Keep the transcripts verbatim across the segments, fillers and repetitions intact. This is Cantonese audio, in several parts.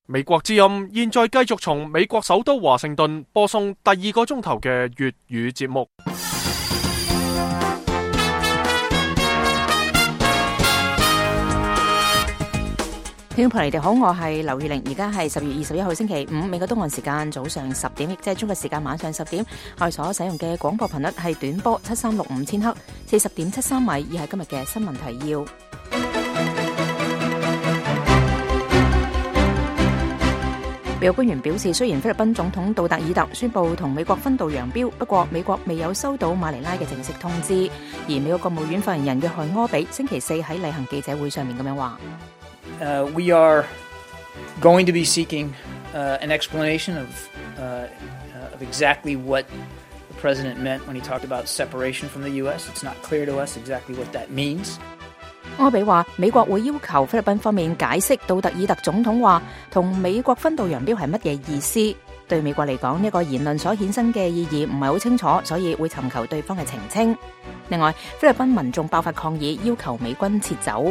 美國之音現在繼續從美國首都華盛頓播送第二個鐘頭嘅粵語節目。聽眾朋友，你哋好，我係劉月玲，而家係十月二十一號星期五，美國東岸時間早上十點，亦即係中國時間晚上十點。我哋所使用嘅廣播頻率係短波七三六五千赫，四十點七三米，以係今日嘅新聞提要。美國官員表示，雖然菲律賓總統杜特爾特宣布同美國分道揚鑣，不過美國未有收到馬尼拉嘅正式通知。而美國國務院發言人約翰柯比星期四喺例行記者會上面咁樣話。Uh, we are going to be seeking uh, an explanation of, uh, uh, of exactly what the president meant when he talked about separation from the U S. It's not clear to us exactly what that means. 柯比話，美國會要求菲律賓方面解釋杜特爾特總統話同美國分道揚鑣係乜嘢意思。對美國嚟講，呢個言論所衍生嘅意義唔係好清楚，所以會尋求對方嘅澄清。另外，菲律賓民眾爆發抗議，要求美軍撤走。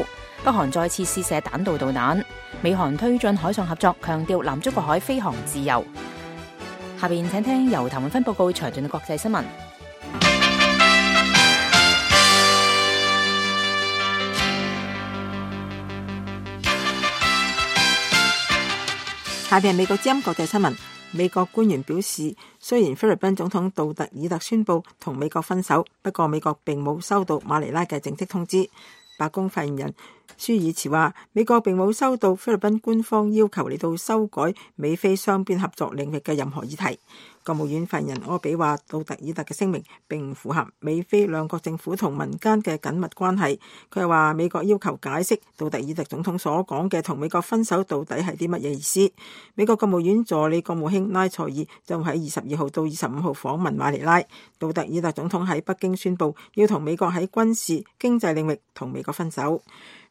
北韓再次試射彈道導彈，美韓推進海上合作，強調南中國海飛航自由。下邊請聽由譚永芬報告詳盡嘅國際新聞。下邊係美國之音國際新聞。美國官員表示，雖然菲律賓總統杜特爾特宣布同美國分手，不過美國並冇收到馬尼拉嘅正式通知。白宮發言人舒爾茨話，美國並冇收到菲律賓官方要求嚟到修改美菲雙邊合作領域嘅任何議題。國務院發言人柯比話，杜特爾特嘅聲明並唔符合美菲兩國政府同民間嘅緊密關係。佢又話，美國要求解釋杜特爾特總統所講嘅同美國分手到底係啲乜嘢意思。美國國務院助理國務卿拉塞爾將喺二十二號到二十五號訪問馬尼拉。杜特爾特總統喺北京宣布要同美國喺軍事、經濟領域同美國分手。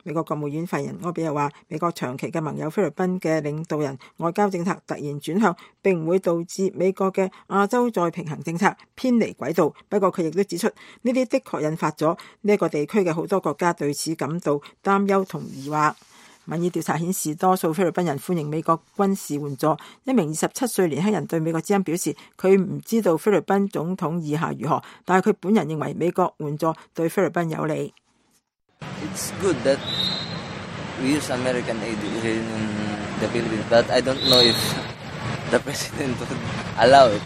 美國國務院發言人柯比又話，美國長期嘅盟友菲律賓嘅領導人外交政策突然轉向，並唔會導致美國嘅亞洲再平衡政策偏離軌道。不過佢亦都指出，呢啲的確引發咗呢一個地區嘅好多國家對此感到擔憂同疑惑。民意調查顯示，多數菲律賓人歡迎美國軍事援助。一名二十七歲年輕人對美國之音表示，佢唔知道菲律賓總統意下如何，但係佢本人認為美國援助對菲律賓有利。It's good that we use American aid in the Philippines, but I don't know if the president would allow it.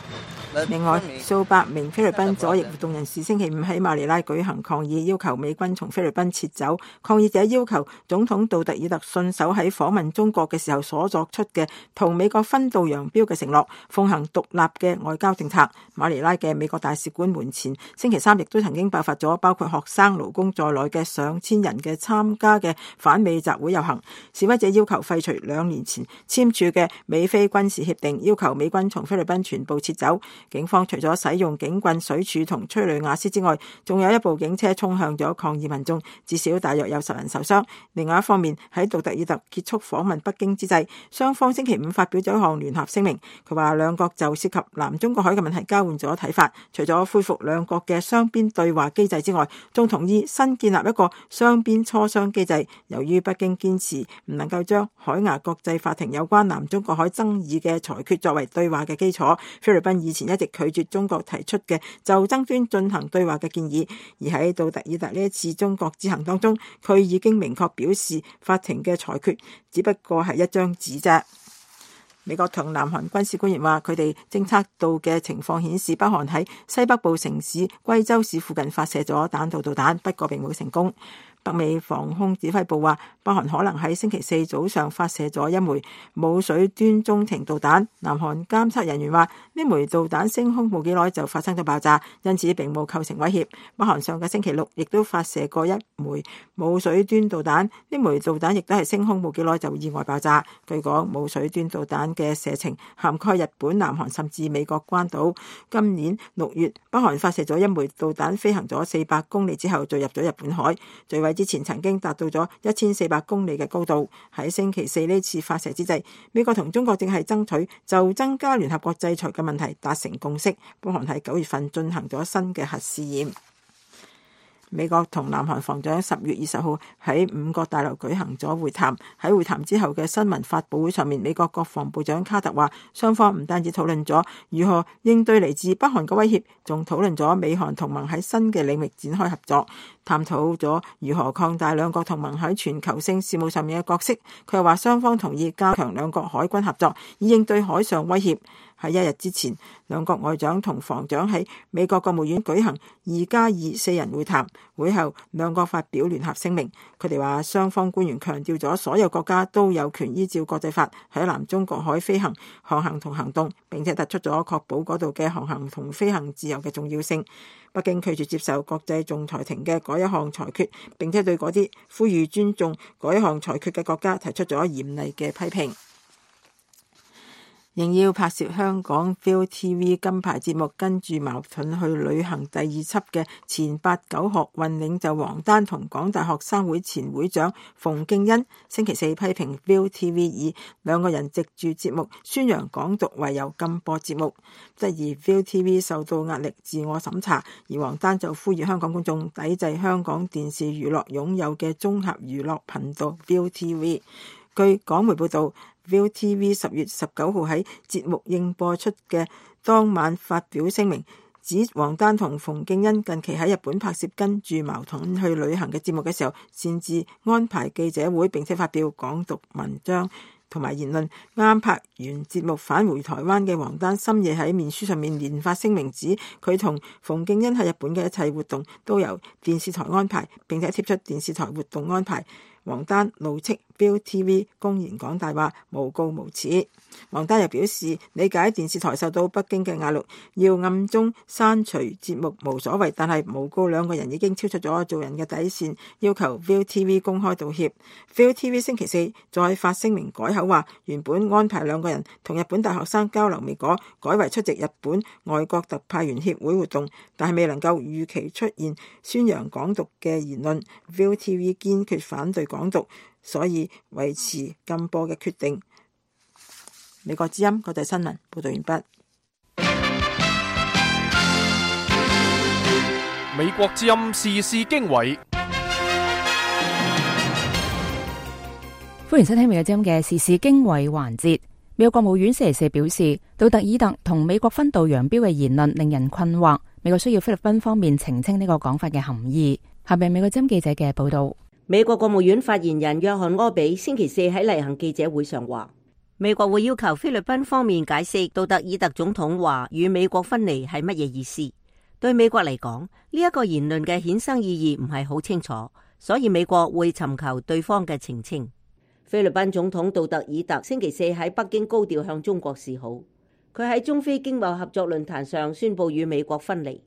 另外，數百名菲律賓左翼活動人士星期五喺馬尼拉舉行抗議，要求美軍從菲律賓撤走。抗議者要求總統杜特爾特信守喺訪問中國嘅時候所作出嘅同美國分道揚鑣嘅承諾，奉行獨立嘅外交政策。馬尼拉嘅美國大使館門前星期三亦都曾經爆發咗包括學生、勞工在內嘅上千人嘅參加嘅反美集會遊行。示威者要求廢除兩年前簽署嘅美菲軍事協定，要求美軍從菲律賓全部撤走。警方除咗使用警棍、水柱同催淚瓦斯之外，仲有一部警車衝向咗抗議民眾，至少大約有十人受傷。另外一方面，喺杜特爾特結束訪問北京之際，雙方星期五發表咗一項聯合聲明。佢話兩國就涉及南中國海嘅問題交換咗睇法，除咗恢復兩國嘅雙邊對話機制之外，仲同意新建立一個雙邊磋商機制。由於北京堅持唔能夠將海牙國際法庭有關南中國海爭議嘅裁決作為對話嘅基礎，菲律賓以前一直拒絕中國提出嘅就爭端進行對話嘅建議，而喺杜特爾特呢一次中國之行當中，佢已經明確表示法庭嘅裁決只不過係一張紙啫。美國同南韓軍事官員話，佢哋偵測到嘅情況顯示，北韓喺西北部城市貴州市附近發射咗彈道導彈，不過並冇成功。北美防空指揮部話，北韓可能喺星期四早上發射咗一枚冇水端中程導彈。南韓監測人員話，呢枚導彈升空冇幾耐就發生咗爆炸，因此並冇構成威脅。北韓上個星期六亦都發射過一枚冇水端導彈，呢枚導彈亦都係升空冇幾耐就意外爆炸。據講，冇水端導彈嘅射程涵蓋日本、南韓甚至美國關島。今年六月，北韓發射咗一枚導彈，飛行咗四百公里之後墜入咗日本海，墜毀之前曾經達到咗一千四百公里嘅高度。喺星期四呢次發射之際，美國同中國正係爭取就增加聯合國制裁嘅問題達成共識。北韓喺九月份進行咗新嘅核試驗。美國同南韓防長十月二十號喺五角大樓舉行咗會談。喺會談之後嘅新聞發佈會上面，美國國防部長卡特話，雙方唔單止討論咗如何應對嚟自北韓嘅威脅，仲討論咗美韓同盟喺新嘅領域展開合作，探討咗如何擴大兩國同盟喺全球性事務上面嘅角色。佢又話雙方同意加強兩國海軍合作，以應對海上威脅。喺一日之前，兩國外長同防長喺美國國務院舉行二加二四人會談，會後兩國發表聯合聲明。佢哋話雙方官員強調咗所有國家都有權依照國際法喺南中國海飛行、航行同行動，並且突出咗確保嗰度嘅航行同飛行自由嘅重要性。北京拒絕接受國際仲裁庭嘅嗰一項裁決，並且對嗰啲呼籲尊重嗰一項裁決嘅國家提出咗嚴厲嘅批評。應邀拍攝香港 ViuTV 金牌節目《跟住矛盾去旅行》第二輯嘅前八九學運領袖王丹同港大學生會前會長馮敬恩，星期四批評 ViuTV 以兩個人藉住節目宣揚港獨為由禁播節目，質疑 ViuTV 受到壓力自我審查，而王丹就呼籲香港公眾抵制香港電視娛樂擁有嘅綜合娛樂頻道 ViuTV。據港媒報道，ViuTV 十月十九號喺節目應播出嘅當晚發表聲明，指王丹同馮敬恩近期喺日本拍攝跟住矛盾去旅行嘅節目嘅時候，擅自安排記者會，並且發表港獨文章同埋言論。啱拍完節目返回台灣嘅王丹深夜喺面書上面連發聲明，指佢同馮敬恩喺日本嘅一切活動都由電視台安排，並且貼出電視台活動安排。王丹怒斥 ViuTV 公然講大話，誣告無恥。王丹又表示理解電視台受到北京嘅壓力，要暗中刪除節目無所謂，但係誣告兩個人已經超出咗做人嘅底線，要求 ViuTV 公開道歉。ViuTV 星期四再發聲明改口話，原本安排兩個人同日本大學生交流未果，改為出席日本外國特派員協會活動，但係未能夠預期出現宣揚港獨嘅言論。ViuTV 堅決反對港獨，所以維持禁播嘅決定。美國之音國際新聞報道完畢。美國之音時事經緯，歡迎收聽美國之音嘅時事經緯環節。美國國務院星期四表示，杜特爾特同美國分道揚鑣嘅言論令人困惑，美國需要菲律賓方面澄清呢個講法嘅含義。下面美國之音記者嘅報道。美國國務院發言人約翰柯比星期四喺例行記者會上話，美國會要求菲律賓方面解釋杜特爾特總統話與美國分離係乜嘢意思。對美國嚟講，呢一個言論嘅衍生意義唔係好清楚，所以美國會尋求對方嘅澄清。菲律賓總統杜特爾特星期四喺北京高調向中國示好，佢喺中菲經貿合作論壇上宣布與美國分離。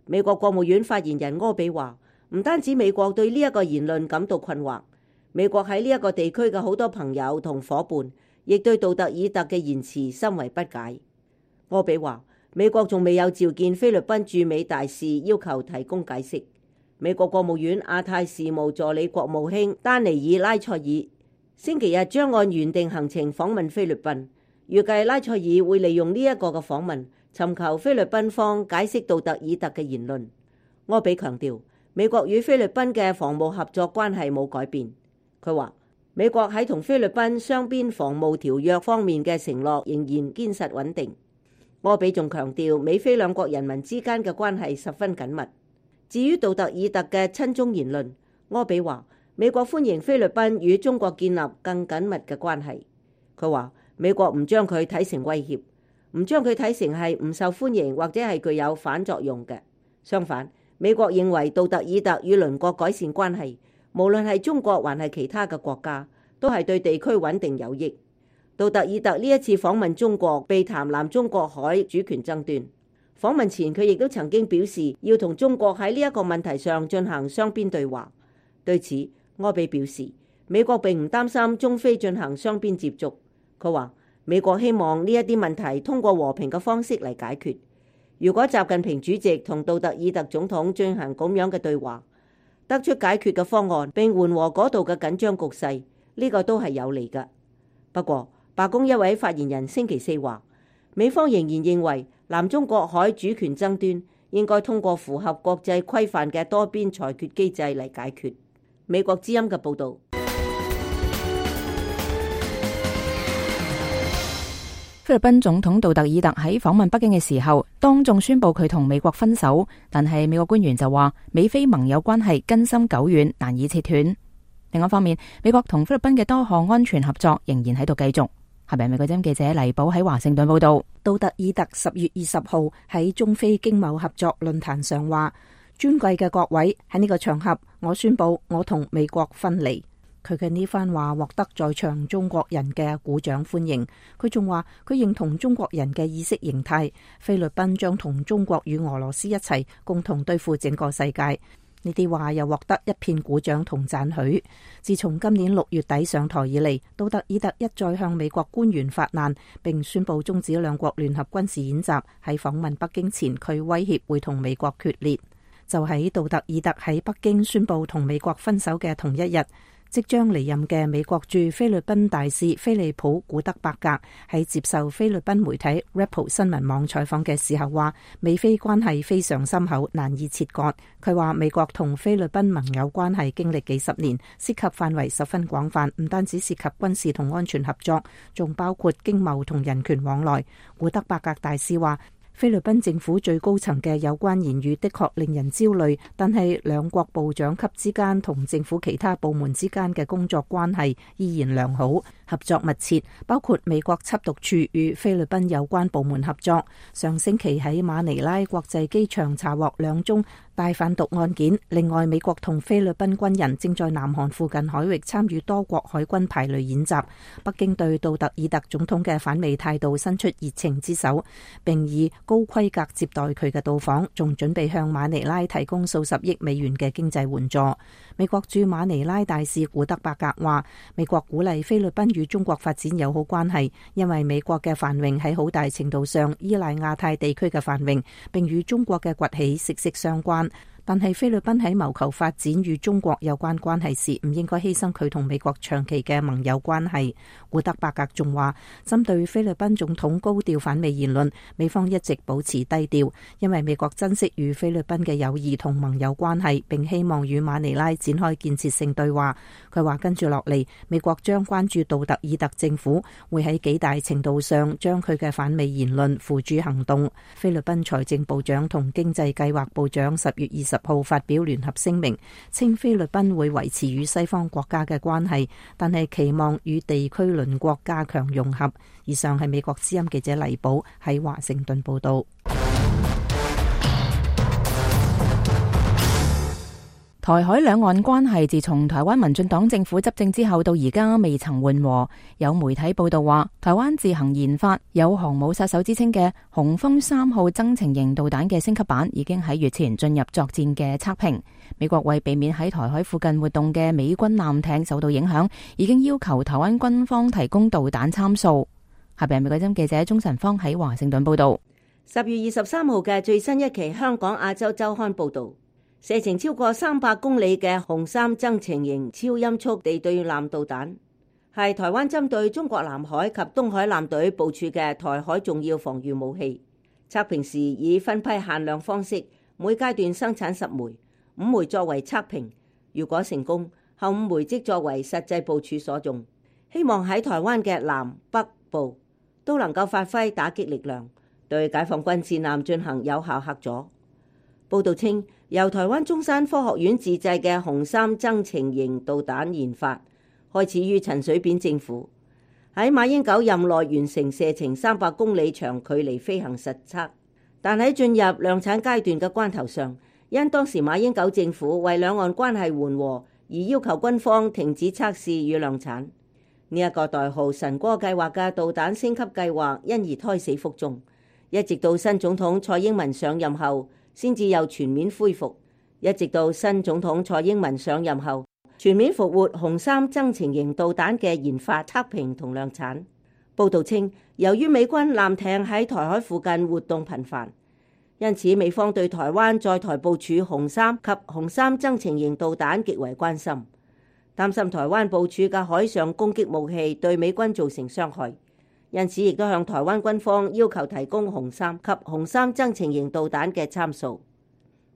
美國國務院發言人柯比話，唔單止美國對呢一個言論感到困惑，美國喺呢一個地區嘅好多朋友同夥伴，亦對杜特爾特嘅言辭深為不解。柯比話，美國仲未有召見菲律賓駐美大使，要求提供解釋。美國國務院亞太事務助理國務卿丹尼爾拉塞爾星期日將按原定行程訪問菲律賓，預計拉塞爾會利用呢一個嘅訪問，尋求菲律賓方解釋杜特爾特嘅言論。柯比強調，美國與菲律賓嘅防務合作關係冇改變。佢話，美國喺同菲律賓雙邊防務條約方面嘅承諾仍然堅實穩定。柯比仲強調，美菲兩國人民之間嘅關係十分緊密。至於杜特爾特嘅親中言論，柯比話，美國歡迎菲律賓與中國建立更緊密嘅關係。佢話，美國唔將佢睇成威脅，唔將佢睇成係唔受歡迎或者係具有反作用嘅。相反，美國認為杜特爾特與鄰國改善關係，無論係中國還係其他嘅國家，都係對地區穩定有益。杜特爾特呢一次訪問中國，避談南中國海主權爭端。訪問前，佢亦都曾經表示要同中國喺呢一個問題上進行雙邊對話。對此，柯比表示，美國並唔擔心中菲進行雙邊接觸。佢話，美國希望呢一啲問題通過和平嘅方式嚟解決。如果習近平主席同杜特爾特總統進行咁樣嘅對話，得出解決嘅方案並緩和嗰度嘅緊張局勢，呢個都係有利嘅。不過，白宮一位發言人星期四話，美方仍然認為南中國海主權爭端應該通過符合國際規範嘅多邊裁決機制嚟解決。美國之音嘅報導。菲律賓總統杜特爾特喺訪問北京嘅時候，當眾宣布佢同美國分手，但係美國官員就話美菲盟友關係根深久遠，難以切斷。另外一方面，美國同菲律賓嘅多項安全合作仍然喺度繼續。下邊美國之音記者黎寶喺華盛頓報道。杜特爾特十月二十號喺中菲經貿合作論壇上話：尊貴嘅各位，喺呢個場合，我宣布我同美國分離。佢嘅呢番話獲得在場中國人嘅鼓掌歡迎。佢仲話佢認同中國人嘅意識形態，菲律賓將同中國與俄羅斯一齊共同對付整個世界。呢啲話又獲得一片鼓掌同讚許。自從今年六月底上台以嚟，杜特爾特一再向美國官員發難，並宣布終止兩國聯合軍事演習。喺訪問北京前，佢威脅會同美國決裂。就喺杜特爾特喺北京宣布同美國分手嘅同一日，即將離任嘅美國駐菲律賓大使菲利普古德伯格喺接受菲律賓媒體 Rappel 新聞網採訪嘅時候話，美菲關係非常深厚，難以切割。佢話美國同菲律賓盟友關係經歷幾十年，涉及範圍十分廣泛，唔單止涉及軍事同安全合作，仲包括經貿同人權往來。古德伯格大使話，菲律賓政府最高層嘅有關言語的確令人焦慮，但係兩國部長級之間同政府其他部門之間嘅工作關係依然良好，合作密切，包括美國緝毒處與菲律賓有關部門合作。上星期喺馬尼拉國際機場查獲兩宗大販毒案件。另外，美國同菲律賓軍人正在南韓附近海域參與多國海軍排雷演習。北京對杜特爾特總統嘅反美態度伸出熱情之手，並以高規格接待佢嘅到訪，仲準備向馬尼拉提供數十億美元嘅經濟援助。美國駐馬尼拉大使古德伯格話，美國鼓勵菲律賓與中國發展友好關係，因為美國嘅繁榮喺好大程度上依賴亞太地區嘅繁榮，並與中國嘅崛起息息相關。但係菲律賓喺謀求發展與中國有關關係時，唔應該犧牲佢同美國長期嘅盟友關係。古德伯格仲話，針對菲律賓總統高調反美言論，美方一直保持低調，因為美國珍惜與菲律賓嘅友誼同盟友關係，並希望與馬尼拉展開建設性對話。佢話跟住落嚟，美國將關注杜特爾特政府會喺幾大程度上將佢嘅反美言論付諸行動。菲律賓財政部長同經濟計劃部長十月二十號發表聯合聲明，稱菲律賓會維持與西方國家嘅關係，但係期望與地區鄰國加強融合。以上係美國之音記者黎寶喺華盛頓報道。台海兩岸關係自從台灣民進黨政府執政之後到而家未曾緩和。有媒體報道話，台灣自行研發有航母殺手之稱嘅雄風三號增程型導彈嘅升級版已經喺月前進入作戰嘅測評。美國為避免喺台海附近活動嘅美軍艦艇受到影響，已經要求台灣軍方提供導彈參數。下邊係美國之音記者鍾晨芳喺華盛頓報道。十月二十三號嘅最新一期香港亞洲週刊報道，射程超過三百公里嘅雄三增程型超音速地對艦導彈，係台灣針對中國南海及東海艦隊部署嘅台海重要防禦武器。測評時以分批限量方式，每階段生產十枚，五枚作為測評。如果成功，後五枚即作為實際部署所用。希望喺台灣嘅南北部都能夠發揮打擊力量，對解放軍戰艦進行有效嚇阻。報道稱，由台灣中山科學院自製嘅雄三增程型導彈研發，開始於陳水扁政府，喺馬英九任內完成射程三百公里長距離飛行實測，但喺進入量產階段嘅關頭上，因當時馬英九政府為兩岸關係緩和而要求軍方停止測試與量產。呢、這、一個代號神歌計劃嘅導彈升級計劃因而胎死腹中，一直到新總統蔡英文上任後先至又全面恢復，一直到新總統蔡英文上任後，全面復活雄三增程型導彈嘅研發、測評同量產。報道稱，由於美軍艦艇喺台海附近活動頻繁，因此美方對台灣在台部署雄三及雄三增程型導彈極為關心，擔心台灣部署嘅海上攻擊武器對美軍造成傷害，因此亦都向台灣軍方要求提供紅三及紅三增程型導彈嘅參數。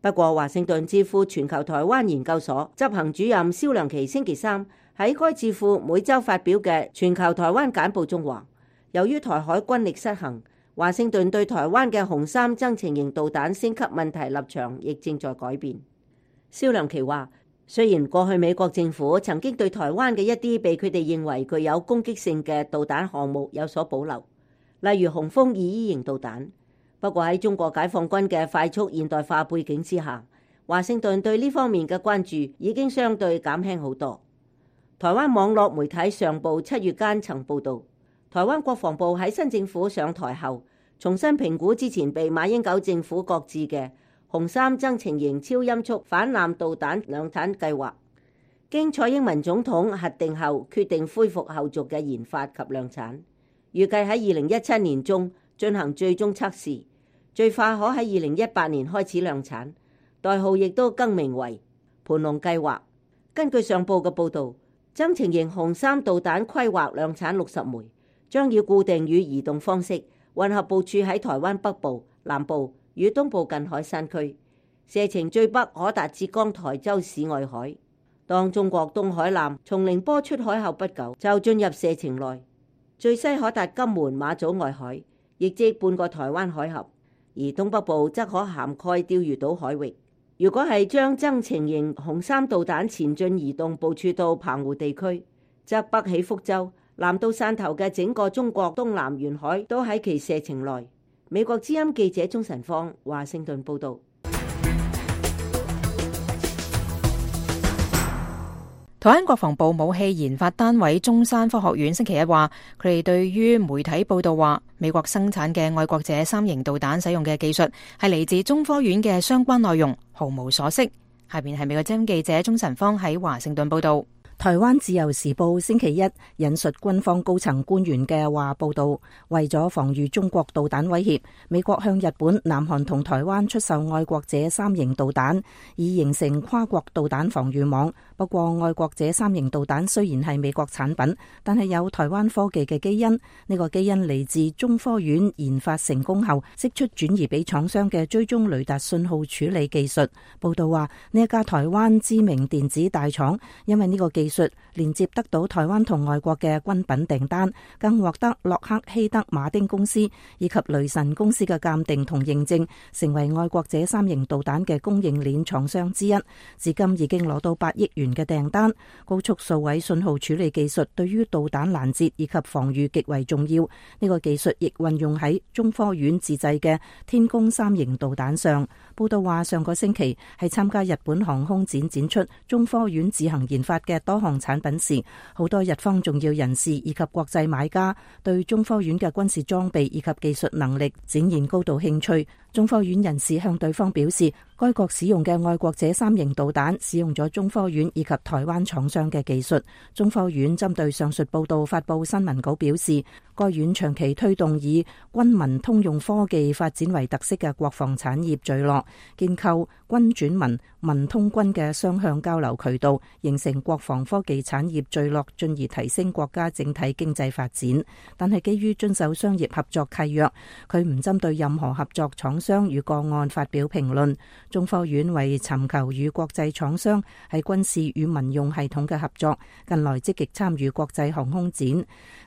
不過，華盛頓智庫全球台灣研究所執行主任蕭良琪星期三喺該智庫每週發表嘅全球台灣簡報中話，由於台海軍力失衡，華盛頓對台灣嘅紅三增程型導彈升級問題立場亦正在改變。蕭良琪話，雖然過去美國政府曾經對台灣嘅一啲被佢哋認為具有攻擊性嘅導彈項目有所保留，例如雄風二 E 型導彈，不過喺中國解放軍嘅快速現代化背景之下，華盛頓對呢方面嘅關注已經相對減輕好多。台灣網絡媒體上報七月間曾報導，台灣國防部喺新政府上台後，重新評估之前被馬英九政府擱置嘅紅三增程型超音速反艦導彈量產計劃，經蔡英文總統核定後，決定恢復後續嘅研發及量產，預計喺二零一七年中進行最終測試，最快可喺二零一八年開始量產，代號亦都更名為盤龍計劃。根據上報嘅報導，增程型紅三導彈規劃量產六十枚，將以固定與移動方式混合部署喺台灣北部、南部與東部近海山區，射程最北可達浙江台州市外海。當中國東海艦從寧波出海後不久，就進入射程內，最西可達金門馬祖外海，亦即半個台灣海峽，而東北部則可涵蓋釣魚島海域。如果係將增程型紅三導彈前進移動部署到澎湖地區，則北起福州，南到汕頭嘅整個中國東南沿海都喺其射程內。美國之音記者鍾晨芳華盛頓報道。台灣國防部武器研發單位中山科學院星期一話，佢哋對於媒體報道話美國生產嘅愛國者三型導彈使用嘅技術係嚟自中科院嘅相關內容毫無所識。下邊係美國之音記者鍾晨芳喺華盛頓報道。台灣自由時報星期一引述軍方高層官員嘅話報道，為咗防禦中國導彈威脅，美國向日本、南韓同台灣出售愛國者三型導彈，以形成跨國導彈防禦網。不過，愛國者三型導彈雖然係美國產品，但係有台灣科技嘅基因。呢個基因嚟自中科院研發成功後，釋出轉移俾廠商嘅追蹤雷達信號處理技術。報道話，呢一家台灣知名電子大廠，因為呢個技術連接得到台灣同外國嘅軍品訂單，更獲得洛克希德馬丁公司以及雷神公司嘅鑑定同認證，成為愛國者三型導彈嘅供應鏈廠商之一。至今已經攞到八億元嘅訂單。高速數位信號處理技術對於導彈攔截以及防禦極為重要。呢個技術亦運用喺中科院自製嘅天宮三型導彈上。報道話，上個星期係參加日本航空展展出中科院自行研發嘅多項產品時，好多日方重要人士以及國際買家對中科院嘅軍事裝備以及技術能力展現高度興趣。中科院人士向對方表示，該國使用嘅愛國者三型導彈使用咗中科院以及台灣廠商嘅技術。中科院針對上述報道發布新聞稿表示，該院長期推動以軍民通用科技發展為特色嘅國防產業聚落，建構軍轉民、民通軍嘅雙向交流渠道，形成國防科技產業聚落，進而提升國家整體經濟發展。但係基於遵守商業合作契約，佢唔針對任何合作廠商與個案發表評論。中科院為尋求與國際廠商喺軍事與民用系統嘅合作，近來積極參與國際航空展。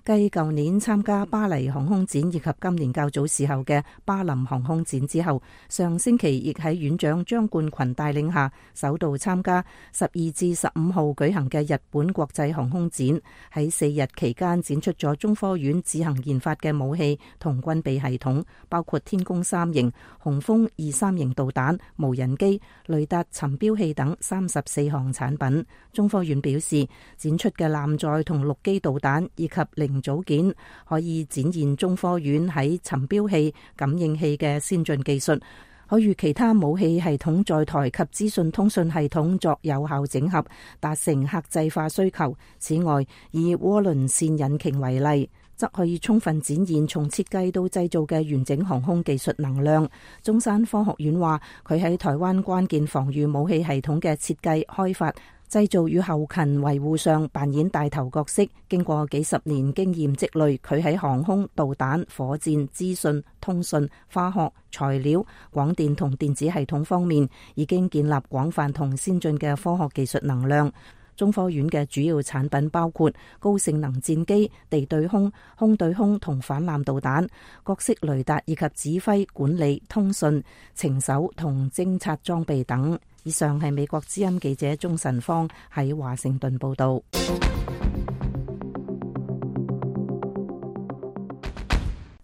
繼舊年參加巴黎航空展以及今年較早時候嘅巴林航空展之後，上星期亦喺院長張冠群帶領下，首度參加十二至十五號舉行嘅日本國際航空展。喺四日期間展出咗中科院自行研發嘅武器同軍備系統，包括天宮三型、雄風二三型導彈、無人機、雷達尋標器等三十四項產品。中科院表示，展出嘅艦載同陸基導彈以及零組件可以展現中科院喺尋標器、感應器嘅先進技術，可與其他武器系統在台及資訊通訊系統作有效整合，達成客製化需求。此外，以渦輪線引擎為例，則可以充分展現從設計到製造嘅完整航空技術能量。中山科學院話，佢喺台灣關鍵防禦武器系統嘅設計開發製造與後勤維護上扮演帶頭角色。經過幾十年經驗積累，佢喺航空、導彈、火箭、資訊、通訊、化學、材料、廣電同電子系統方面，已經建立廣泛同先進嘅科學技術能量。中科院嘅主要產品包括高性能戰機、地對空、空對空同反艦導彈、各式雷達以及指揮、管理、通訊、情搜同偵察裝備等。以上係美國之音記者鍾晨芳喺華盛頓報道。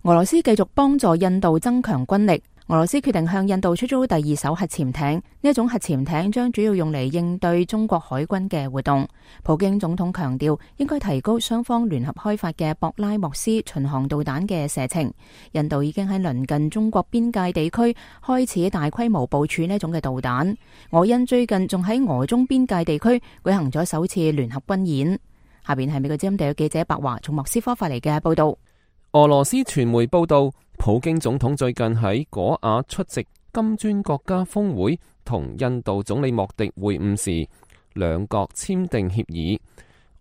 俄羅斯繼續幫助印度增強軍力。俄羅斯決定向印度出租第二艘核潛艇，呢一種核潛艇將主要用嚟應對中國海軍嘅活動。普京總統強調，應該提高雙方聯合開發嘅博拉莫斯巡航導彈嘅射程。印度已經喺鄰近中國邊界地區開始大規模部署呢種嘅導彈。俄印最近仲喺俄中邊界地區舉行咗首次聯合軍演。下邊係美國之音地嘅記者白華從莫斯科發嚟嘅報道。俄羅斯傳媒報道，普京總統最近喺果瓦出席金磚國家峰會，同印度總理莫迪會晤時，兩國簽訂協議。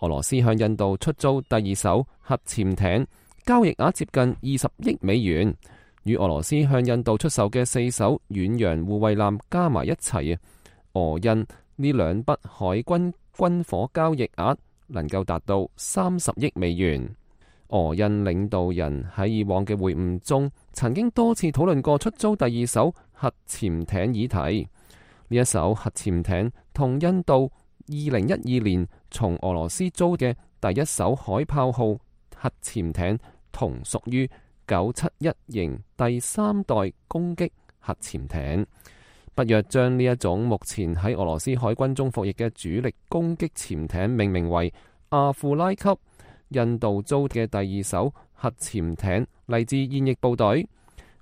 俄羅斯向印度出租第二艘核潛艇，交易額接近二十億美元，與俄羅斯向印度出售嘅四艘遠洋護衛艦加埋一齊啊，俄印呢兩筆海軍軍火交易額能夠達到三十億美元。俄印領導人喺以往嘅會晤中，曾經多次討論過出租第二艘核潛艇議題。呢一艘核潛艇同印度二零一二年從俄羅斯租嘅第一艘海豹號核潛艇同屬於九七一型第三代攻擊核潛艇。北約將呢一種目前喺俄羅斯海軍中服役嘅主力攻擊潛艇命名為阿庫拉級。印度租嘅第二艘核潛艇嚟自現役部隊。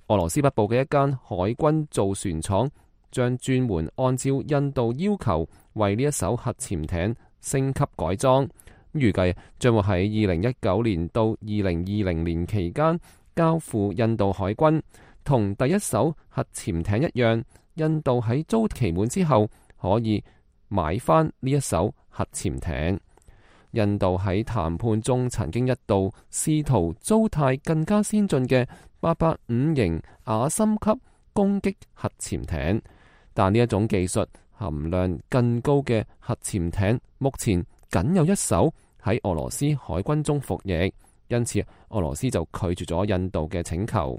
俄羅斯北部嘅一間海軍造船廠將專門按照印度要求為呢一艘核潛艇升級改裝，預計將會喺二零一九年到二零二零年期間交付印度海軍。同第一艘核潛艇一樣，印度喺租期滿之後可以買翻呢一艘核潛艇。印度喺談判中曾經一度試圖租貸更加先進嘅八八五型亞森級攻擊核潛艇，但呢一種技術含量更高嘅核潛艇目前僅有一艘喺俄羅斯海軍中服役，因此俄羅斯就拒絕咗印度嘅請求。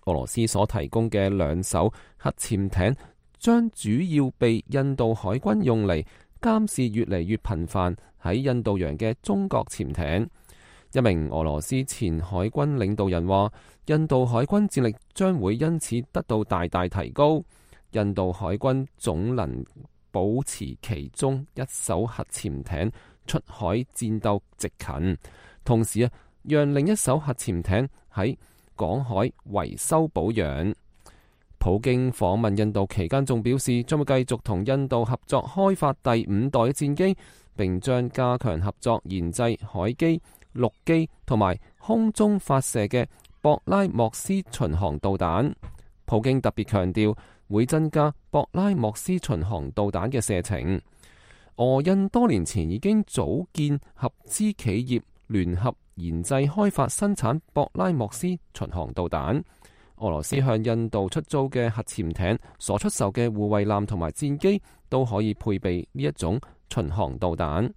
俄羅斯所提供嘅兩艘核潛艇將主要被印度海軍用嚟監視越嚟越頻繁喺印度洋嘅中國潛艇。一名俄羅斯前海軍領導人話，印度海軍戰力將會因此得到大大提高。印度海軍總能保持其中一艘核潛艇出海戰鬥直勤，同時啊，讓另一艘核潛艇喺港海維修保養。普京訪問印度期間仲表示，將會繼續同印度合作開發第五代嘅戰機，並將加強合作研製海基、陸基同埋空中發射嘅博拉莫斯巡航導彈。普京特別強調會增加博拉莫斯巡航導彈嘅射程。俄印多年前已經組建合資企業，聯合研製開發生產博拉莫斯巡航導彈。俄羅斯向印度出租嘅核潛艇所出售嘅護衛艦同埋戰機都可以配備呢一種巡航導彈。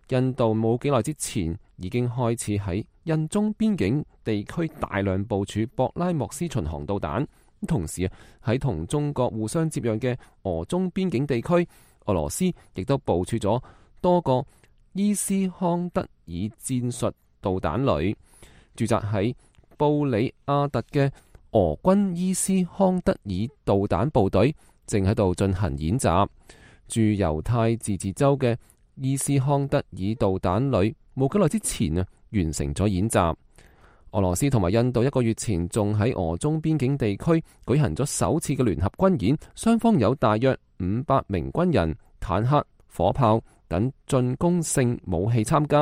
印度冇幾耐之前已經開始喺印中邊境地區大量部署博拉莫斯巡航導彈，同時啊，喺同中國互相接壤嘅俄中邊境地區，俄羅斯亦都部署咗多個伊斯康德爾戰術導彈旅。駐紮喺布里亞特嘅俄軍伊斯康德爾導彈部隊正喺度進行演習。駐猶太自治州嘅伊斯康德爾導彈旅冇幾耐之前啊，完成咗演習。俄羅斯同埋印度一個月前仲喺俄中邊境地區舉行咗首次嘅聯合軍演，雙方有大約五百名軍人、坦克、火炮等進攻性武器參加。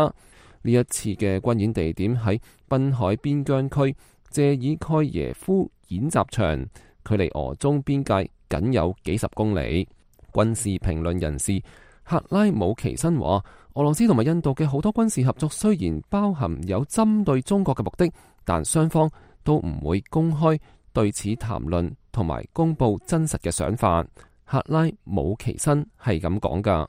呢一次嘅軍演地點喺濱海邊疆區謝爾蓋耶夫演習場，距離俄中邊界僅有幾十公里。軍事評論人士克拉姆奇申話，俄羅斯同埋印度嘅好多軍事合作雖然包含有針對中國嘅目的，但雙方都唔會公開對此談論同埋公布真實嘅想法。克拉姆奇申係咁講㗎。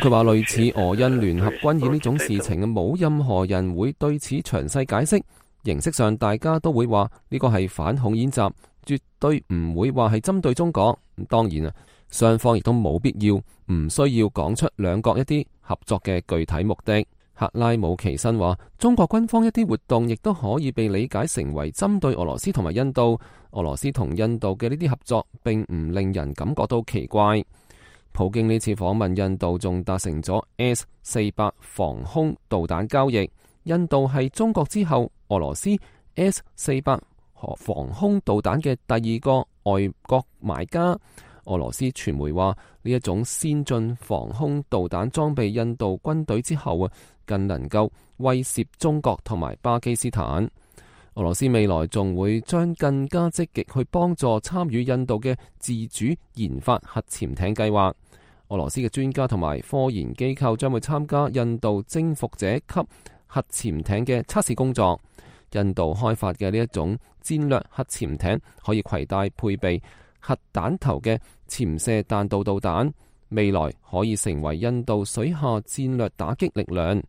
佢話類似俄印聯合軍演呢種事情，冇任何人會對此詳細解釋。形式上大家都會話呢個係反恐演習，絕對唔會話係針對中國。當然啊，雙方亦都冇必要唔需要講出兩國一啲合作嘅具體目的。克拉姆奇申話，中國軍方一啲活動亦都可以被理解成為針對俄羅斯同埋印度。俄羅斯同印度嘅呢啲合作並唔令人感覺到奇怪。普京呢次訪問印度仲達成咗 S 四百防空導彈交易。印度係中國之後俄羅斯 S 四百防空導彈嘅第二個外國買家。俄羅斯傳媒話，呢一種先進防空導彈裝備印度軍隊之後啊，更能夠威懾中國同埋巴基斯坦。俄羅斯未來仲會將更加積極去幫助參與印度嘅自主研發核潛艇計劃。俄羅斯嘅專家同埋科研機構將會參加印度征服者級核潛艇嘅測試工作。印度開發嘅呢一種戰略核潛艇可以攜帶配備核彈頭嘅潛射彈道導彈，未來可以成為印度水下戰略打擊力量。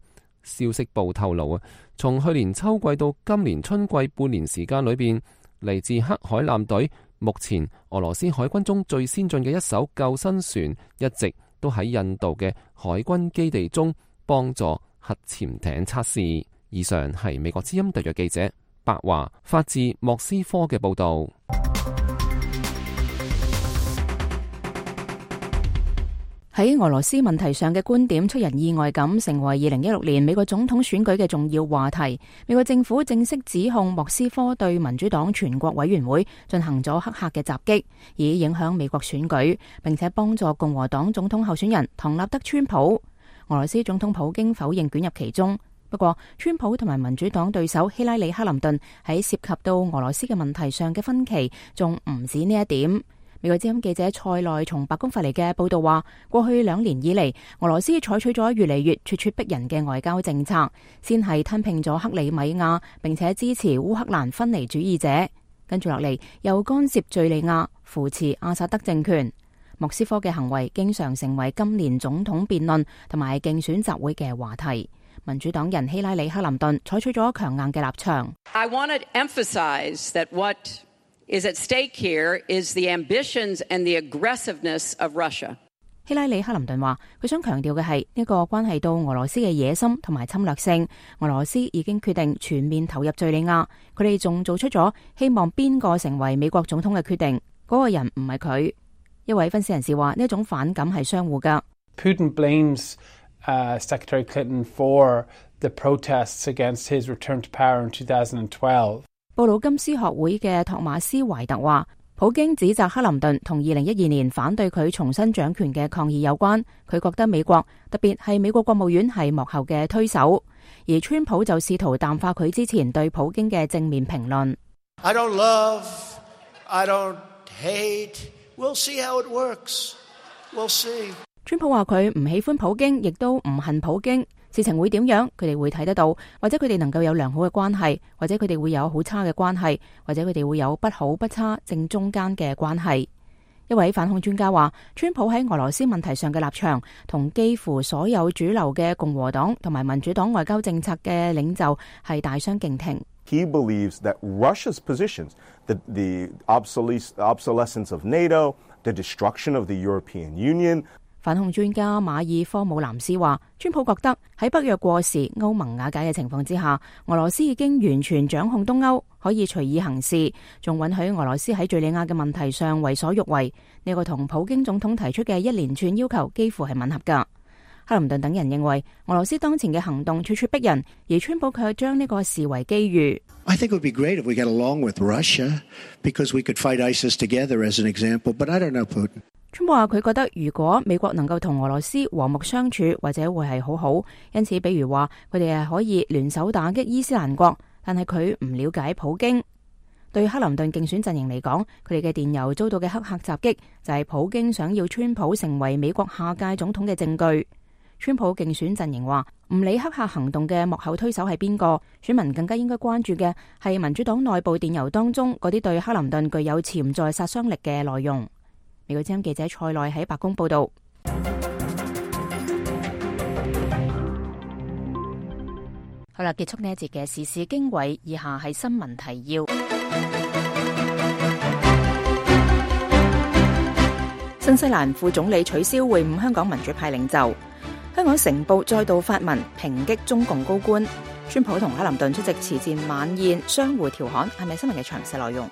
消息報透露啊，從去年秋季到今年春季半年時間裏邊，嚟自黑海艦隊，目前俄羅斯海軍中最先進嘅一艘救生船，一直都喺印度嘅海軍基地中幫助核潛艇測試。以上係美國之音特約記者白華發自莫斯科嘅報道。喺俄羅斯問題上嘅觀點出人意外咁，成為二零一六年美國總統選舉嘅重要話題。美國政府正式指控莫斯科對民主黨全國委員會進行咗黑客嘅襲擊，以影響美國選舉，並且幫助共和黨總統候選人唐納德川普。俄羅斯總統普京否認捲入其中。不過，川普同埋民主黨對手希拉里克林頓喺涉及到俄羅斯嘅問題上嘅分歧，仲唔止呢一點。美國之音記者蔡內從白宮發嚟嘅報道話，過去兩年以嚟，俄羅斯採取咗越嚟越咄咄逼人嘅外交政策，先係吞併咗克里米亞，並且支持烏克蘭分離主義者，跟住落嚟又干涉敘利亞，扶持阿薩德政權。莫斯科嘅行為經常成為今年總統辯論同埋競選集會嘅話題。民主黨人希拉里克林頓採取咗強硬嘅立場。I want to emphasize that what is at stake here is the ambitions and the aggressiveness of Russia. 希拉里克林頓話，佢想強調嘅係呢個關係到俄羅斯嘅野心同埋侵略性。俄羅斯已經決定全面投入敘利亞，佢哋仲做出咗希望邊個成為美國總統嘅決定，嗰個人唔係佢。一位分析人士話，呢一種反感係相互噶。Putin blames Uh, Secretary Clinton for the protests against his return to power in two thousand twelve. 布魯金斯學會嘅托馬斯懷特話，普京指責克林頓同二零一二年反對佢重新掌權嘅抗議有關。佢覺得美國，特別係美國國務院係幕後嘅推手，而川普就試圖淡化佢之前對普京嘅正面評論。I don't love, I don't hate. We'll see how it works. We'll see. 川普話佢唔喜歡普京，亦都唔恨普京。事情會點樣，佢哋會睇得到，或者佢哋能夠有良好嘅關係，或者佢哋會有好差嘅關係，或者佢哋會有不好不差正中間嘅關係。一位反恐專家話，川普喺俄羅斯問題上嘅立場同幾乎所有主流嘅共和黨同埋民主黨外交政策嘅領袖係大相徑庭。He believes that Russia's positions, the, the obsolescence of NATO, the destruction of the European Union. 反恐專家馬爾科姆南斯話，川普覺得喺北約過時、歐盟瓦解嘅情況之下，俄羅斯已經完全掌控東歐，可以隨意行事，仲允許俄羅斯喺敘利亞嘅問題上為所欲為。呢個同普京總統提出嘅一連串要求幾乎係吻合㗎。克林頓等人認為，俄羅斯當前嘅行動咄咄逼人，而川普卻將呢個視為機遇。I think it would be great if we get along with Russia, because we could fight ISIS together as an example, but I don't know Putin. 川普話佢覺得如果美國能夠同俄羅斯和睦相處，或者會係好好。因此，比如話佢哋係可以聯手打擊伊斯蘭國，但係佢唔了解普京。對克林頓競選陣營嚟講，佢哋嘅電郵遭到嘅黑客襲擊，就係普京想要川普成為美國下屆總統嘅證據。川普競選陣營話，唔理黑客行動嘅幕後推手係邊個，選民更加應該關注嘅係民主黨內部電郵當中嗰啲對克林頓具有潛在殺傷力嘅內容。美國之音記者蔡內喺白宮報道。好啦，結束呢一節嘅時事經緯，以下係新聞提要。新西蘭副總理取消會晤香港民主派領袖。香港成報再度發文抨擊中共高官。川普同克林頓出席慈善晚宴，相互調侃。係咪新聞嘅詳細內容？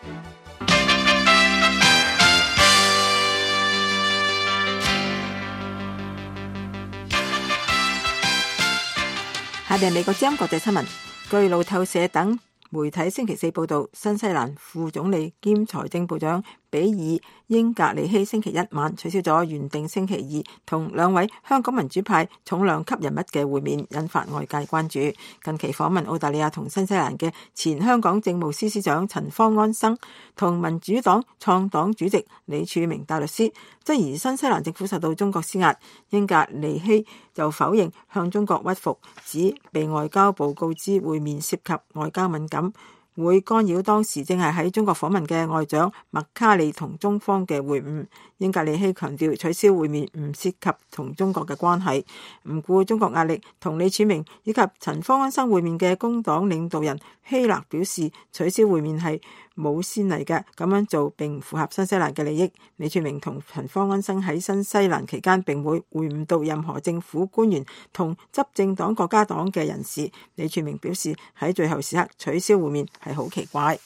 下邊美國之音國際新聞，據路透社等媒體星期四報道，新西蘭副總理兼財政部長比爾英格利希星期一晚取消咗原定星期二同兩位香港民主派重量級人物嘅會面，引發外界關注。近期訪問澳大利亞同新西蘭嘅前香港政務司司長陳方安生同民主黨創黨主席李柱銘大律師質疑新西蘭政府受到中國施壓，英格利希就否認向中國屈服，指被外交部告知會面涉及外交敏感，會干擾當時正係喺中國訪問嘅外長麥卡利同中方嘅會晤。英格利希強調取消會面唔涉及同中國嘅關係，唔顧中國壓力，同李柱銘以及陳方安生會面嘅工黨領導人希勒表示取消會面係冇先例嘅，咁樣做並唔符合新西蘭嘅利益。李柱銘同陳方安生喺新西蘭期間並會會晤到任何政府官員同執政黨國家黨嘅人士。李柱銘表示喺最後時刻取消會面係好奇怪。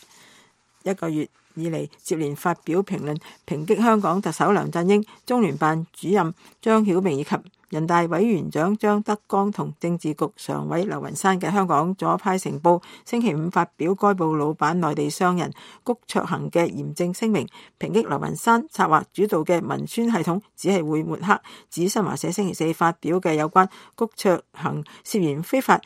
一個月以嚟接連發表評論抨擊香港特首梁振英、中聯辦主任張曉明以及人大委員長張德江同政治局常委劉雲山嘅香港左派成報星期五發表該報老闆內地商人谷卓行嘅嚴正聲明，抨擊劉雲山策劃主導嘅文宣系統只係會抹黑，指新華社星期四發表嘅有關谷卓行涉嫌非法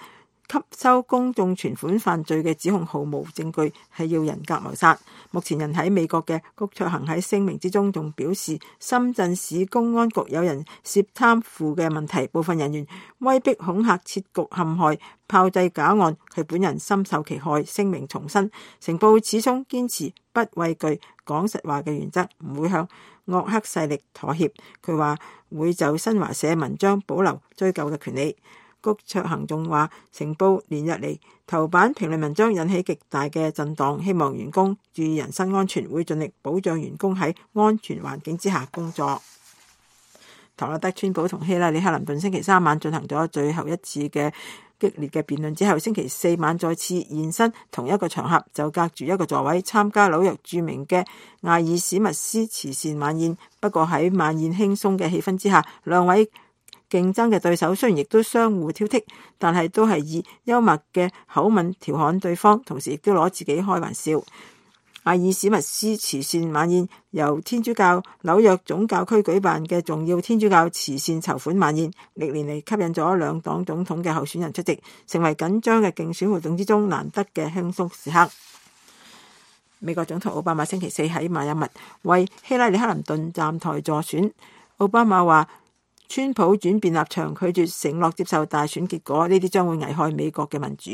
吸收公眾存款犯罪嘅指控毫無證據，係要人格謀殺。目前人喺美國嘅谷卓行喺聲明之中仲表示，深圳市公安局有人涉貪腐嘅問題，部分人員威逼恐嚇設局陷害，炮製假案，佢本人深受其害。聲明重申，成報始終堅持不畏懼講實話嘅原則，唔會向惡黑勢力妥協。佢話會就新華社文章保留追究嘅權利。谷卓行仲話，成報連日嚟頭版評論文章引起極大嘅震盪，希望員工注意人身安全，會盡力保障員工喺安全環境之下工作。唐納德川普同希拉里克林頓星期三晚進行咗最後一次嘅激烈嘅辯論之後，星期四晚再次現身同一個場合，就隔住一個座位參加紐約著名嘅艾爾史密斯慈善晚宴。不過喺晚宴輕鬆嘅氣氛之下，兩位競爭嘅對手雖然亦都相互挑剔，但係都係以幽默嘅口吻調侃對方，同時亦都攞自己開玩笑。艾爾史密斯慈善晚宴由天主教紐約總教區舉辦嘅重要天主教慈善籌款晚宴，歷年嚟吸引咗兩黨總統嘅候選人出席，成為緊張嘅競選活動之中難得嘅輕鬆時刻。美國總統奧巴馬星期四喺邁阿密為希拉里克林頓站台助選。奧巴馬話，川普轉變立場，拒絕承諾接受大選結果，呢啲將會危害美國嘅民主。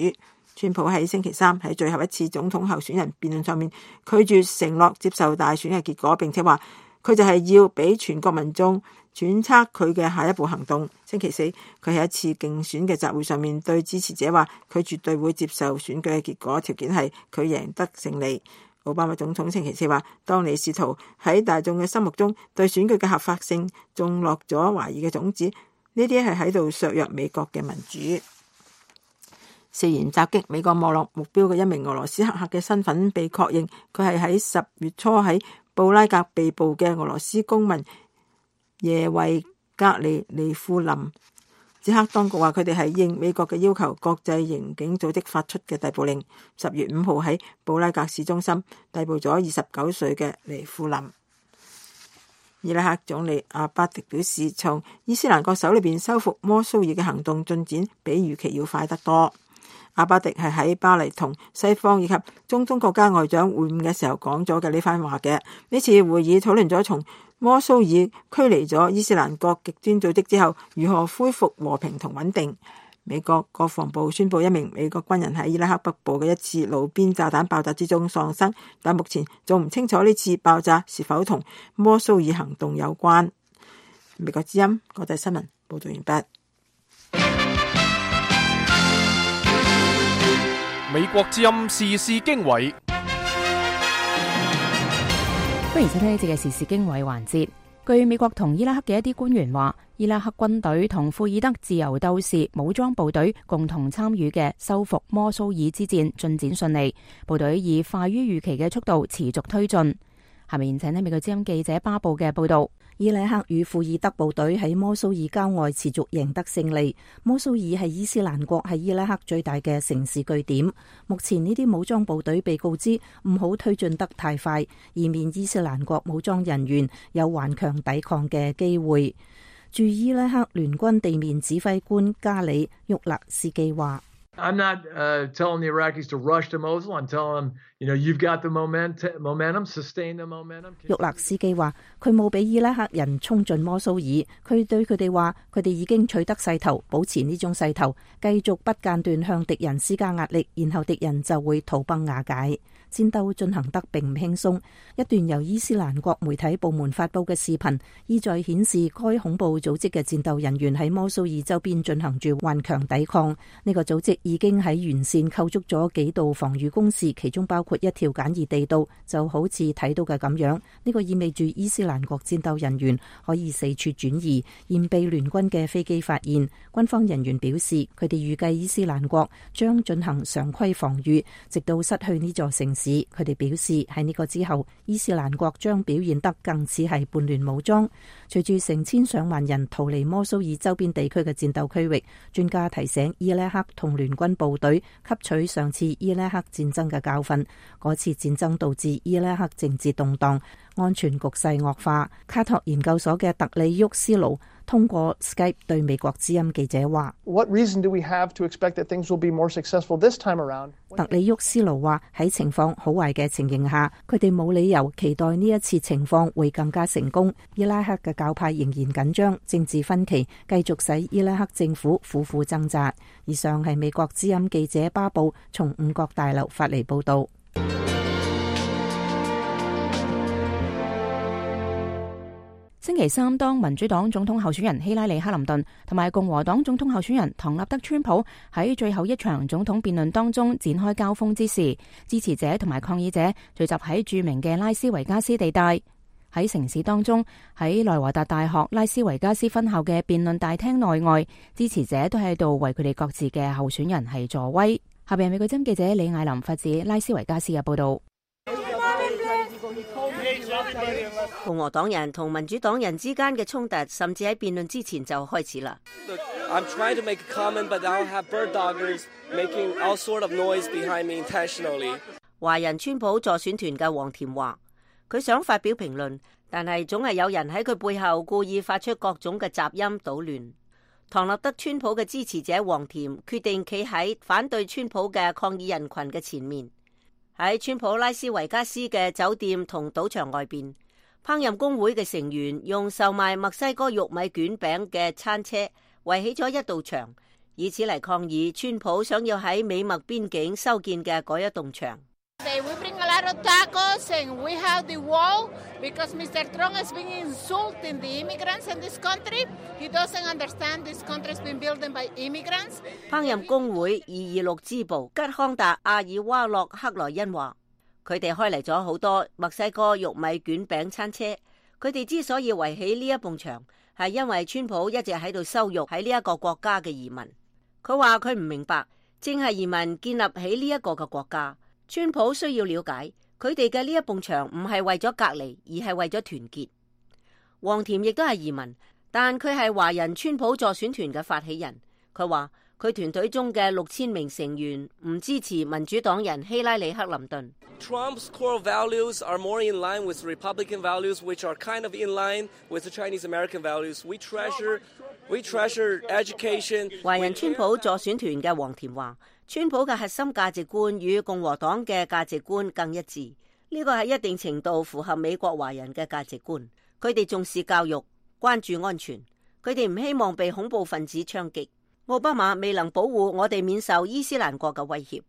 川普喺星期三喺最後一次總統候選人辯論上面拒絕承諾接受大選嘅結果，並且話佢就係要俾全國民眾揣測佢嘅下一步行動。星期四佢喺一次競選嘅集會上面對支持者話，佢絕對會接受選舉嘅結果，條件係佢贏得勝利。奧巴馬總統星期四話，當你試圖喺大眾嘅心目中對選舉嘅合法性種落咗懷疑嘅種子，呢啲係喺度削弱美國嘅民主。涉嫌襲擊美國網絡目標嘅一名俄羅斯黑客嘅身份被確認，佢係喺十月初喺布拉格被捕嘅俄羅斯公民耶維格里尼庫林。捷克當局話佢哋係應美國嘅要求，國際刑警組織發出嘅逮捕令。十月五號喺布拉格市中心逮捕咗二十九歲嘅尼庫林。伊拉克總理阿巴迪表示，從伊斯蘭國手裏邊收復摩蘇爾嘅行動進展比預期要快得多。阿巴迪係喺巴黎同西方以及中東國家外長會晤嘅時候講咗嘅呢番話嘅。呢次會議討論咗從摩蘇爾驅離咗伊斯蘭國極端組織之後，如何恢復和平同穩定。美國國防部宣布一名美國軍人喺伊拉克北部嘅一次路邊炸彈爆炸之中喪生，但目前仲唔清楚呢次爆炸是否同摩蘇爾行動有關。美國之音國際新聞報道完畢。美國之音時事經緯，歡迎收聽呢節嘅時事經緯環節。據美國同伊拉克嘅一啲官員話，伊拉克軍隊同庫爾德自由鬥士武裝部隊共同參與嘅收復摩蘇爾之戰進展順利，部隊以快於預期嘅速度持續推進。下面請睇美國之音記者巴布嘅報道。伊拉克與庫爾德部隊喺摩蘇爾郊外持續贏得勝利。摩蘇爾係伊斯蘭國喺伊拉克最大嘅城市據點。目前呢啲武裝部隊被告知唔好推進得太快，以免伊斯蘭國武裝人員有頑強抵抗嘅機會。駐伊拉克聯軍地面指揮官加里沃勒斯基話I'm not uh, telling the Iraqis to rush to Mosul. I'm telling them, you know, you've got the momentum, momentum, sustain the momentum. 沃勒斯基話：佢冇俾伊拉克人衝進摩蘇爾，佢對佢哋話：佢哋已經取得勢頭，保持呢種勢頭，繼續不間斷向敵人施加壓力，然後敵人就會土崩瓦解。戰鬥進行得並唔輕鬆。一段由伊斯蘭國媒體部門發佈嘅視頻，意在顯示該恐怖組織嘅戰鬥人員喺摩蘇爾周邊進行住頑強抵抗。呢個組織已經喺沿線構築咗幾道防禦工事，其中包括一條簡易地道，就好似睇到嘅咁樣。呢個意味住伊斯蘭國戰鬥人員可以四處轉移，現被聯軍嘅飛機發現。軍方人員表示，佢哋預計伊斯蘭國將進行常規防禦，直到失去呢座城市。佢哋表示喺呢個之後，伊斯蘭國將表現得更似係叛亂武裝。隨住成千上萬人逃離摩蘇爾周邊地區嘅戰鬥區域，專家提醒伊拉克同聯軍部隊吸取上次伊拉克戰爭嘅教訓。嗰次戰爭導致伊拉克政治動盪，安全局勢惡化。卡托研究所嘅特里沃斯盧通過 Skype 對美國之音記者話 What reason do we have to expect that things will be more successful this time around? 特里沃斯盧話喺情況好壞嘅情形下，佢哋冇理由期待呢一次情況會更加成功。伊拉克嘅教派仍然緊張，政治分歧繼續使伊拉克政府苦苦掙扎。以上係美國之音記者巴布從五角大樓發嚟報道。星期三，當民主黨總統候選人希拉里克林頓同埋共和黨總統候選人唐納德川普喺最後一場總統辯論當中展開交鋒之時，支持者同埋抗議者聚集喺著名嘅拉斯維加斯地帶。喺城市當中，喺內華達大學拉斯維加斯分校嘅辯論大廳內外，支持者都喺度為佢哋各自嘅候選人係助威。下邊美國之音記者李艾琳發自拉斯維加斯嘅報道。共和黨人同民主黨人之間嘅衝突，甚至喺辯論之前就開始啦。I'm trying to make a comment, but I'll have bird doggers making all sort of noise behind me intentionally. 華人川普助選團嘅黃田話，佢想發表評論，但係總係有人喺佢背後故意發出各種嘅雜音搗亂。唐納德川普嘅支持者黃田決定企喺反對川普嘅抗議人群嘅前面，喺川普拉斯維加斯嘅酒店同賭場外邊，烹飪工會嘅成員用售賣墨西哥玉米卷餅嘅餐車圍起咗一道牆，以此嚟抗議川普想要喺美墨邊境修建嘅嗰一棟牆。We bring a lot of tacos and we have the wall because Mister Trump has been insulting the immigrants in this country. He doesn't understand this country has been built by immigrants. 烹飪工會二二六支部吉康達阿爾瓦洛克萊恩話，佢哋開嚟咗好多墨西哥玉米卷餅餐車。佢哋之所以圍起呢一埲牆，係因為川普一直喺度羞辱喺呢一個國家嘅移民。佢話佢唔明白，正係移民建立起呢一個嘅國家。川普需要了解，佢哋嘅呢一埲牆唔係為咗隔離，而係為咗團結。黃田亦都係移民，但佢係華人川普助選團嘅發起人。佢話佢團隊中嘅六千名成員唔支持民主黨人希拉里克林頓。Trump's core values are more in line with Republican values, which are kind of in line with the Chinese American values. We treasure, we treasure education. 華人川普助選團嘅黃田話，川普嘅核心價值觀與共和黨嘅價值觀更一致，呢個係一定程度符合美國華人嘅價值觀。佢哋重視教育，關注安全，佢哋唔希望被恐怖分子槍擊。奧巴馬未能保護我哋免受伊斯蘭國嘅威脅。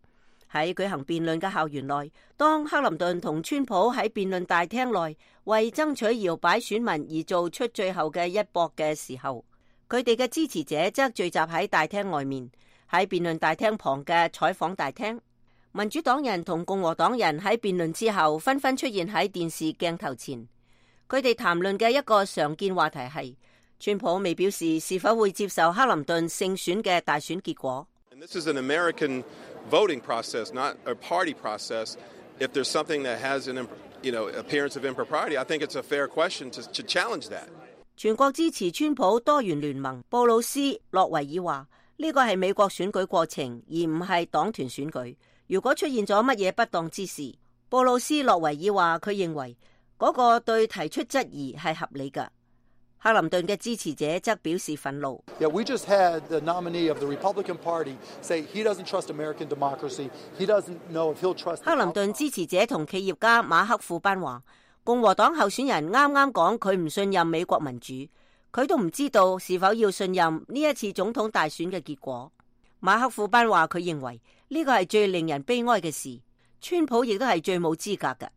喺舉行辯論嘅校園內，當克林頓同川普喺辯論大廳內為爭取搖擺選民而做出最後嘅一搏嘅時候，佢哋嘅支持者則聚集喺大廳外面，喺辯論大廳旁嘅採訪大廳。民主黨人同共和黨人喺辯論之後紛紛出現喺電視鏡頭前，佢哋談論嘅一個常見話題係川普未表示是否會接受克林頓勝選嘅大選結果。This is an American voting process, not a party process. If there's something that has an, you know, appearance of impropriety, I think it's a fair question to, to challenge that. 全國支持川普多元聯盟布魯斯洛維爾話：呢個係美國選舉過程，而唔係黨團選舉。如果出現咗乜嘢不當之事，布魯斯洛維爾話佢認為嗰個對提出質疑係合理㗎。克林頓嘅支持者則表示憤怒。Yeah, we just had the nominee of the Republican Party say he doesn't trust American democracy. He doesn't know if he'll trust. 克林頓支持者同企業家馬克庫班話，共和黨候選人啱啱講佢唔信任美國民主，佢都唔知道是否要信任呢一次總統大選嘅結果。馬克庫班話佢認為呢個係最令人悲哀嘅事，川普亦都係最冇資格嘅。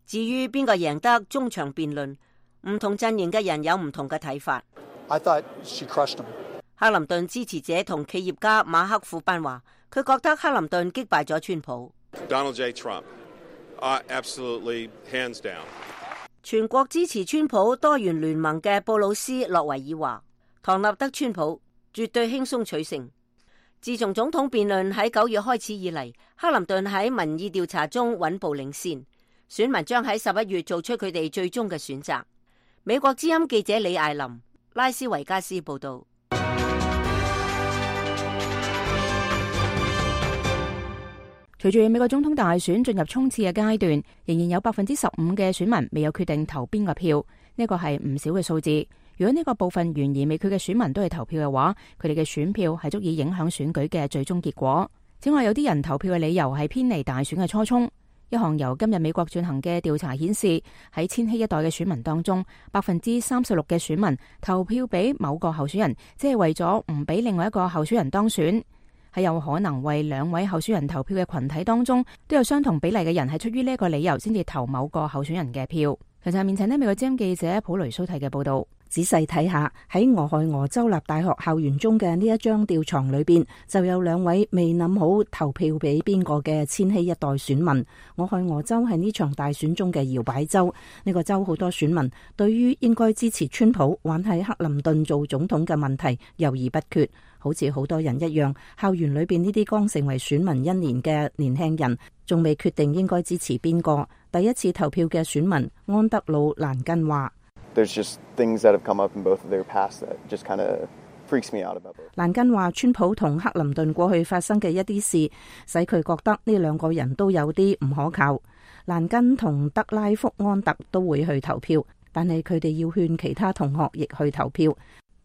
至於邊個贏得中場辯論，唔同陣營嘅人有唔同嘅睇法。I thought she crushed him. 克林頓支持者同企業家馬克庫班話，佢覺得克林頓擊敗咗川普。Donald J. Trump, uh, absolutely hands down. 全國支持川普多元聯盟嘅布魯斯洛維爾話，唐納德川普絕對輕鬆取勝。自從總統辯論喺九月開始以嚟，克林頓喺民意調查中穩步領先，選民將喺十一月做出佢哋最終嘅選擇。美國之音記者李艾琳，拉斯維加斯報道。隨住美國總統大選進入衝刺嘅階段，仍然有百分之十五嘅選民未有決定投邊個票，呢個係唔少嘅數字。如果呢個部分懸而未決嘅選民都係投票嘅話，佢哋嘅選票係足以影響選舉嘅最終結果。此外，有啲人投票嘅理由係偏離大選嘅初衷。一項由今日美國進行嘅調查顯示，喺千禧一代嘅選民當中，百分之三十六嘅選民投票俾某個候選人，即係為咗唔俾另外一個候選人當選。喺有可能為兩位候選人投票嘅群體當中，都有相同比例嘅人係出於呢一個理由先至投某個候選人嘅票。其實下面請呢美國之音記者普雷蘇提嘅報道。仔細睇下喺俄亥俄州立大學校園中嘅呢一張吊床裏邊，就有兩位未諗好投票俾邊個嘅千禧一代選民。俄亥俄州係呢場大選中嘅搖擺州，呢個州好多選民對於應該支持川普還係克林頓做總統嘅問題猶豫不決。好似好多人一樣，校園裏邊呢啲剛成為選民一年嘅年輕人，仲未決定應該支持邊個。第一次投票嘅選民安德魯蘭根話：There's just things that have come up in both of their past that just kind of freaks me out about both. 蘭根話，川普同克林頓過去發生嘅一啲事，使佢覺得呢兩個人都有啲唔可靠。蘭根同德拉福安特都會去投票，但係佢哋要勸其他同學亦去投票。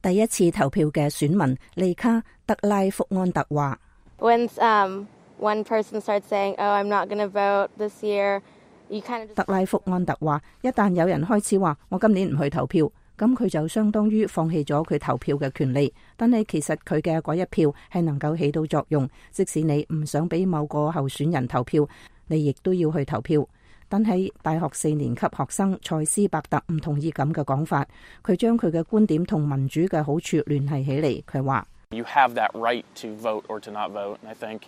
第一次投票嘅選民利卡德拉福安特話 ：When um one person starts saying, "Oh, I'm not going to vote this year," you kind of just... 德拉福安特話：一旦有人開始話我今年唔去投票，咁佢就相當於放棄咗佢投票嘅權利。但係其實佢嘅嗰一票係能夠起到作用，即使你唔想俾某個候選人投票，你亦都要去投票。但係大學四年級學生塞斯伯特唔同意咁嘅講法，佢將佢嘅觀點同民主嘅好處聯繫起嚟。佢話 You have that right to vote or to not vote, and I think,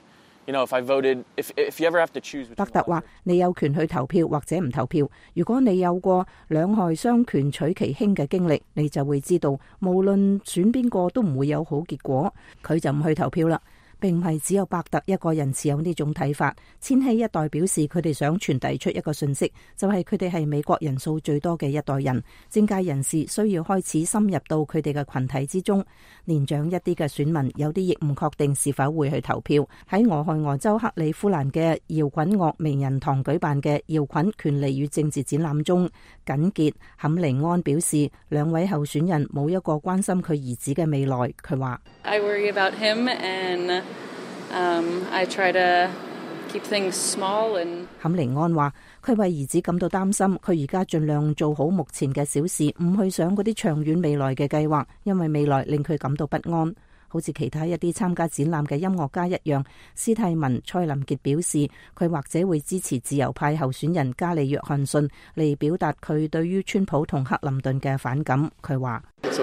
you know, if I voted, if if you ever have to choose. 伯特話：你有權去投票或者唔投票。如果你有過兩害相權取其輕嘅經歷，你就會知道，無論選邊個都唔會有好結果。佢就唔去投票啦。並唔係只有伯特一個人持有呢種睇法。千禧一代表示佢哋想傳遞出一個訊息，就係佢哋係美國人數最多嘅一代人。政界人士需要開始深入到佢哋嘅群體之中。年長一啲嘅選民有啲亦唔確定是否會去投票。喺俄亥俄州克里夫蘭嘅搖滾樂名人堂舉辦嘅搖滾權利與政治展覽中，緊傑坎尼安表示，兩位候選人冇一個關心佢兒子嘅未來。佢話：I worry about him and Um, I try to keep things small and 坎尼安話：佢為兒子感到擔心，佢而家盡量做好目前嘅小事，唔去想嗰啲長遠未來嘅計劃，因為未來令佢感到不安。好似其他一啲參加展覽嘅音樂家一樣，斯蒂文蔡林傑表示，佢或者會支持自由派候選人加里約翰遜嚟表達佢對於川普同克林頓嘅反感。佢話：蔡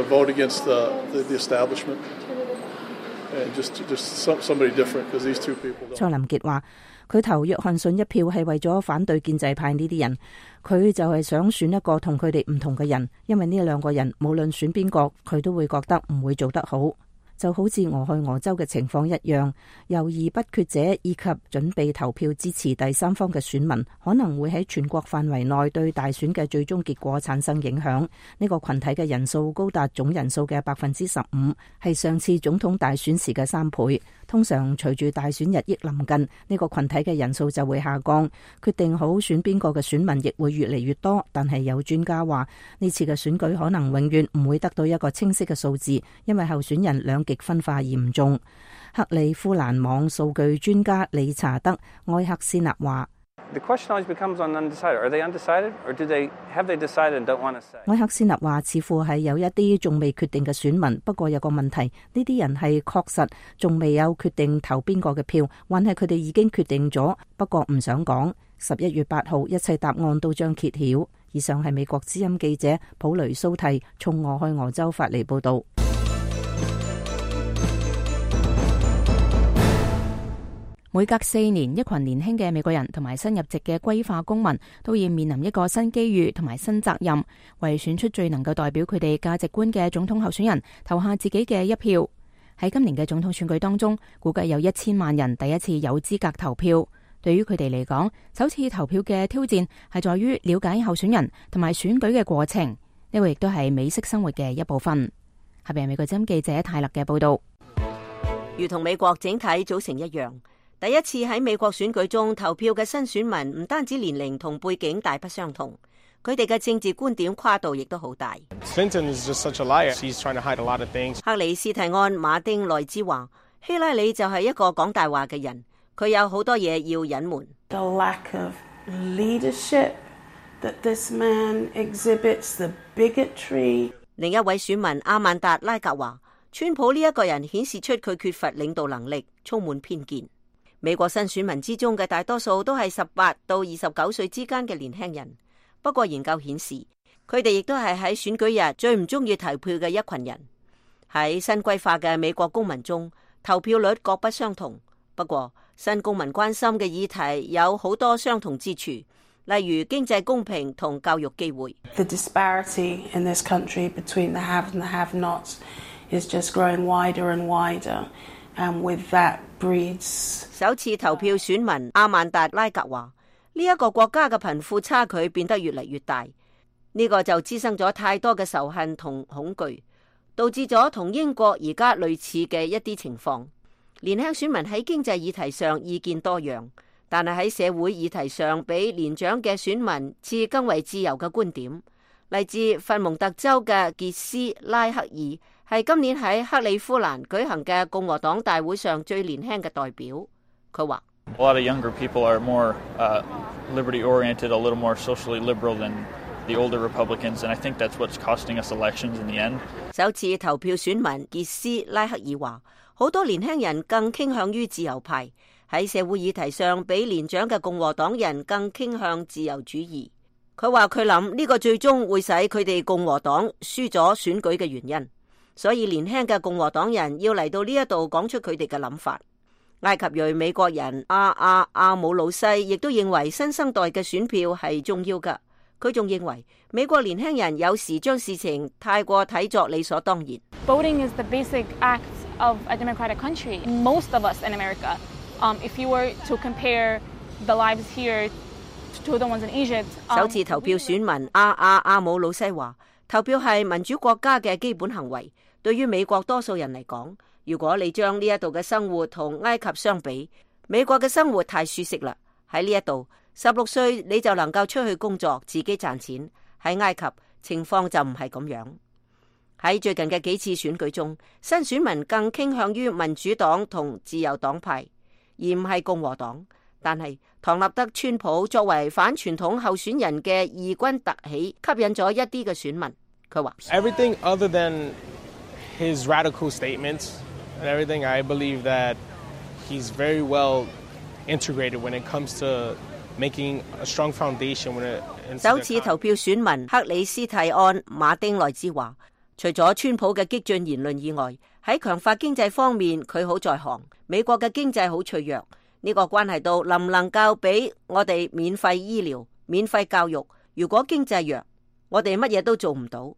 林傑話：佢投約翰遜一票係為咗反對建制派呢啲人，佢就係想選一個同佢哋唔同嘅人，因為呢兩個人無論選邊個，佢都會覺得唔會做得好。就好似俄亥俄州嘅情況一樣，猶豫不決者以及準備投票支持第三方嘅選民，可能會喺全國範圍內對大選嘅最終結果產生影響。呢個群體嘅人數高達總人數嘅百分之十五，係上次總統大選時嘅三倍。通常隨住大選日益臨近，呢個群體嘅人數就會下降，決定好選邊個嘅選民亦會越嚟越多。但係有專家話，呢次嘅選舉可能永遠唔會得到一個清晰嘅數字，因為候選人兩極分化嚴重。克里夫蘭網數據專家理查德埃克斯納話：The question always becomes on undecided. Are they undecided, or do they have they decided and don't want to say? 埃克斯納話：似乎係有一啲仲未決定嘅選民，不過有個問題，呢啲人係確實仲未有決定投邊個嘅票，還係佢哋已經決定咗，不過唔想講。十一月八號，一切答案都將揭曉。以上係美國之音記者普雷蘇蒂從俄亥俄州發嚟報道。每隔四年，一群年輕嘅美國人同埋新入籍嘅歸化公民都要面臨一個新機遇同埋新責任，為選出最能夠代表佢哋價值觀嘅總統候選人投下自己嘅一票。喺今年嘅總統選舉當中，估計有一千萬人第一次有資格投票。對於佢哋嚟講，首次投票嘅挑戰係在於了解候選人同埋選舉嘅過程，呢個亦都係美式生活嘅一部分。下邊係美國之音記者泰勒嘅報道。如同美國整體組成一樣，第一次喺美國選舉中投票嘅新選民唔單止年齡同背景大不相同，佢哋嘅政治觀點跨度亦都好大。Clinton is just such a liar. She's trying to hide a lot of things. 克里斯蒂安馬丁內茲話：希拉里就係一個講大話嘅人，佢有好多嘢要隱瞞。The lack of leadership that this man exhibits, the bigotry. 另一位選民阿曼達拉格話：川普呢一個人顯示出佢缺乏領導能力，充滿偏見。美國新選民之中嘅大多數都係十八到二十九歲之間嘅年輕人，不過研究顯示，佢哋亦都係喺選舉日最唔中意投票嘅一群人。喺新歸化嘅美國公民中，投票率各不相同，不過新公民關心嘅議題有好多相同之處，例如經濟公平同教育機會。The disparity in this country between the have and the have-nots is just growing wider and wider, and with that breeds 首次投票選民阿曼達拉格話：呢一個國家嘅貧富差距變得越嚟越大，呢個就滋生咗太多嘅仇恨同恐懼，導致咗同英國而家類似嘅一啲情況。年輕選民喺經濟議題上意見多樣，但係喺社會議題上比年長嘅選民持更為自由嘅觀點。嚟自佛蒙特州嘅傑斯拉克爾係今年喺克里夫蘭舉行嘅共和黨大會上最年輕嘅代表。佢話：A lot of younger people are more uh, liberty-oriented, a little more socially liberal than the older Republicans, and I think that's what's costing us elections in the end. 首次投票選民傑斯拉克爾話：好多年輕人更傾向於自由派，喺社會議題上比年長嘅共和黨人更傾向自由主義。佢話佢諗呢個最終會使佢哋共和黨輸咗選舉嘅原因，所以年輕嘅共和黨人要嚟到呢一度講出佢哋嘅諗法。埃及裔美國人阿阿阿姆魯西亦都認為新生代嘅選票係重要㗎。佢仲認為美國年輕人有時將事情太過睇作理所當然。Voting is the basic act of a democratic country. Most of us in America, um, if you were to compare the lives here to the ones in Egypt, um, 首次投票選民阿阿阿姆魯西話：投票係民主國家嘅基本行為。對於美國多數人嚟講，如果你將呢一度嘅生活同埃及相比，美國嘅生活太舒適啦。喺呢一度，十六歲你就能夠出去工作，自己賺錢。喺埃及情況就唔係咁樣。喺最近嘅幾次選舉中，新選民更傾向於民主黨同自由黨派。而唔係共和黨。但係唐納德川普作為反傳統候選人嘅異軍突起，吸引咗一啲嘅選民。佢話 Everything other than his radical statements and everything, I believe that he's very well integrated when it comes to making a strong foundation when it。首次投票選民克里斯蒂安馬丁內茲話，除咗川普嘅激進言論以外，喺強化經濟方面佢好在行。美國嘅經濟好脆弱，呢個關係到能唔能夠俾我哋免費醫療、免費教育。如果經濟弱，我哋乜嘢都做唔到。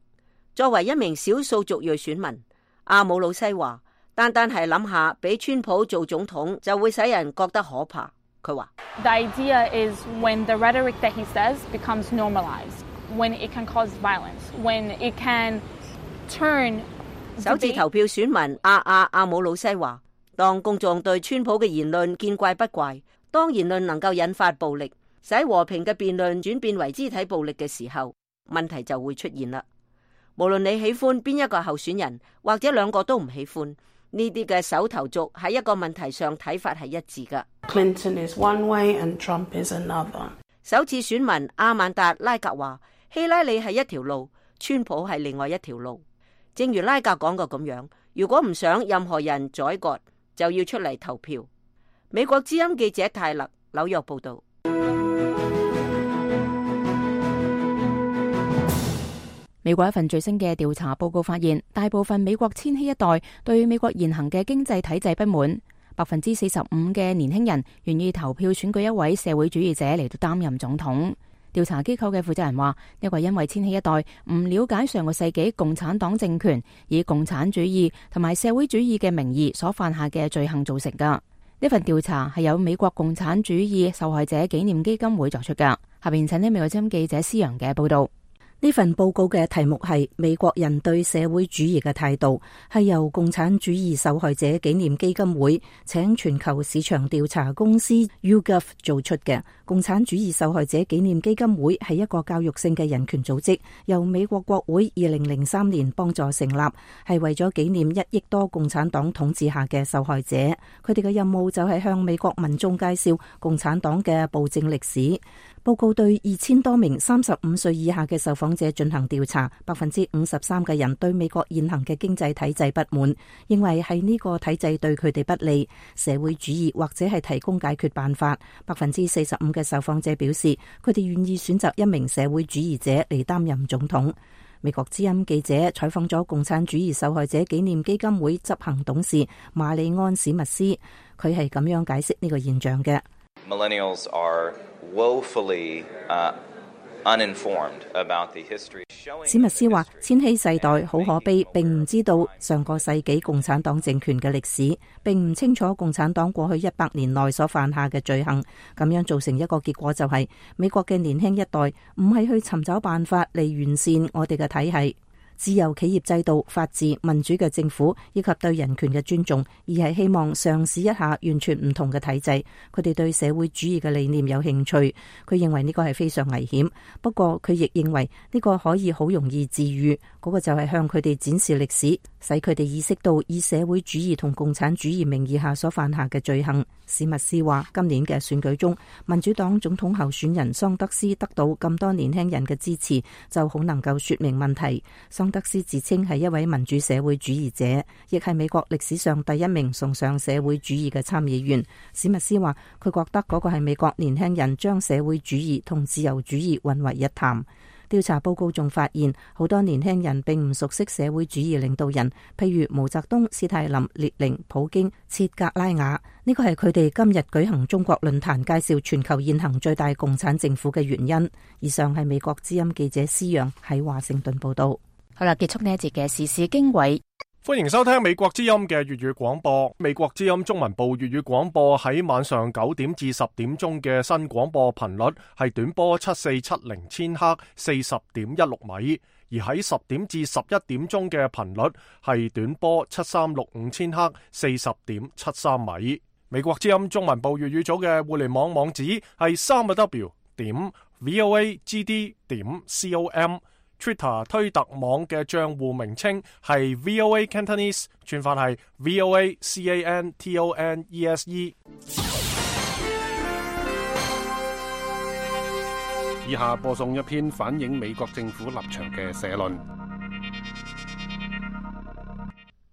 作為一名少數族裔選民，阿姆魯西話，單單係諗下俾川普做總統就會使人覺得可怕。佢話 The idea is when the rhetoric that he says becomes normalized, when it can cause violence, when it can turn。 首次投票選民阿阿阿姆魯西話，當公眾對川普嘅言論見怪不怪，當言論能夠引發暴力，使和平嘅辯論轉變為肢體暴力嘅時候，問題就會出現啦。無論你喜歡邊一個候選人，或者兩個都唔喜歡，呢啲嘅首投族喺一個問題上睇法係一致噶。Clinton is one way and Trump is another。 首次選民阿曼達拉格話，希拉里係一條路，川普係另外一條路。正如拉格講過咁樣，如果唔想任何人宰割，就要出嚟投票。美國之音記者泰勒紐約報道。美國一份最新嘅調查報告發現，大部分美國千禧一代對美國現行嘅經濟體制不滿。百分之四十五嘅年輕人願意投票選舉一位社會主義者嚟到擔任總統。調查機構嘅負責人話，呢個因為千禧一代唔了解上個世紀共產黨政權以共產主義同埋社會主義嘅名義所犯下嘅罪行造成噶。呢份調查係由美國共產主義受害者紀念基金會作出噶。下邊請聽美國之音記者施陽嘅報道。呢份報告嘅題目係美國人對社會主義嘅態度，係由共產主義受害者紀念基金會請全球市場調查公司 YouGov 做出嘅。共產主義受害者紀念基金會係一個教育性嘅人權組織，由美國國會二零零三年幫助成立，係為咗紀念一億多共產黨統治下嘅受害者。佢哋嘅任務就係向美國民眾介紹共產黨嘅暴政歷史。報告對二千多名三十五歲以下嘅受訪者進行調查，百分之五十三嘅人對美國現行嘅經濟體制不滿，認為係呢個體制對佢哋不利，社會主義或者係提供解決辦法。百分之四十五嘅受訪者表示，佢哋願意選擇一名社會主義者嚟擔任總統。美國之音記者採訪咗共產主義受害者紀念基金會執行董事馬里安史密斯，佢係咁樣解釋呢個現象嘅。Millennials are woefully, uh, uninformed about the history. 史密斯話：千禧世代好可悲，並唔知道上個世紀共產黨政權嘅歷史，並唔清楚共產黨過去一百年內所犯下嘅罪行。咁樣造成一個結果就係、是、美國嘅年輕一代唔係去尋找辦法嚟完善我哋嘅體系。自由企業制度、法治、民主嘅政府以及對人權嘅尊重，而係希望嘗試一下完全唔同嘅體制。佢哋對社會主義嘅理念有興趣，佢認為呢個係非常危險。不過佢亦認為呢個可以好容易治癒，嗰、那個就係向佢哋展示歷史，使佢哋意識到以社會主義同共產主義名義下所犯下嘅罪行。史密斯話：今年嘅選舉中，民主黨總統候選人桑德斯得到咁多年輕人嘅支持，就好能夠說明問題。桑德斯自稱係一位民主社會主義者，亦係美國歷史上第一名崇尚社會主義嘅參議員。史密斯話：佢覺得嗰個係美國年輕人將社會主義同自由主義混為一談。調查報告仲發現，好多年輕人並唔熟悉社會主義領導人，譬如毛澤東、史泰林、列寧、普京、切格拉瓦。呢個係佢哋今日舉行中國論壇介紹全球現行最大共產政府嘅原因。以上係美國之音記者施陽喺華盛頓報道。好啦，結束呢一節嘅時事經緯。歡迎收聽美國之音嘅粵語廣播。美國之音中文部粵語廣播喺晚上九點至十點鐘嘅新廣播頻率係短波七四七零千赫四十點一六米，而喺十點至十一點鐘嘅頻率係短波七三六五千赫四十點七三米。美國之音中文部粵語組嘅互聯網網址係三個 W 點 V O A G D 點 C O M。Twitter 推特網嘅賬戶名稱係 V O A Cantonese， 串法係 V O A C A N T O N E S E。以下播送一篇反映美國政府立場嘅社論。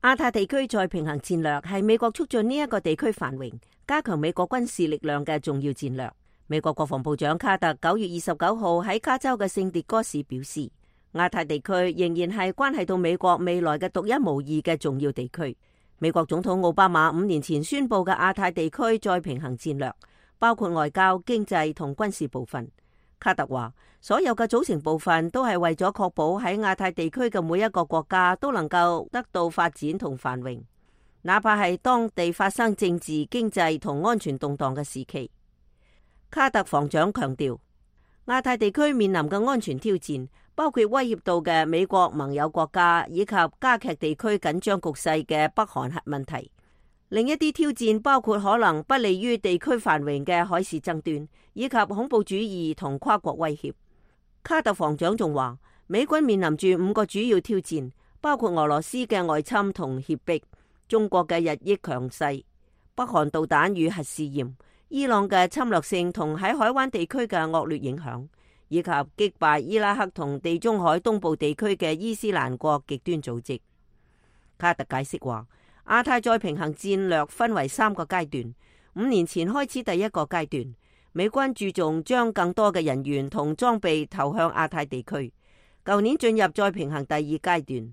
亞太地區再平衡戰略係美國促進呢一個地區繁榮、加強美國軍事力量嘅重要戰略。美國國防部長卡特九月二十九號喺加州嘅聖迭戈市表示，亞太地區仍然係關係到美國未來嘅獨一無二嘅重要地區。美國總統奧巴馬五年前宣布嘅亞太地區再平衡戰略，包括外交、經濟同軍事部分。卡特話，所有嘅組成部分都係為咗確保喺亞太地區嘅每一個國家都能夠得到發展同繁榮，哪怕係當地發生政治、經濟同安全動盪嘅時期。卡特防長強調，亞太地區面臨嘅安全挑戰，包括威脅到嘅美國盟友國家，以及加劇地區緊張局勢嘅北韓核問題。另一啲挑戰包括可能不利於地區繁榮嘅海事爭端，以及恐怖主義同跨國威脅。卡特防長仲話，美軍面臨住五個主要挑戰，包括俄羅斯嘅外侵同脅迫、中國嘅日益強勢、北韓導彈與核試驗、伊朗嘅侵略性同喺海灣地區嘅惡劣影響，以及擊敗伊拉克同地中海東部地區嘅伊斯蘭國極端組織。卡特解釋話，亞太再平衡戰略分為三個階段。五年前開始第一個階段，美軍注重將更多嘅人員同裝備投向亞太地區。舊年進入再平衡第二階段，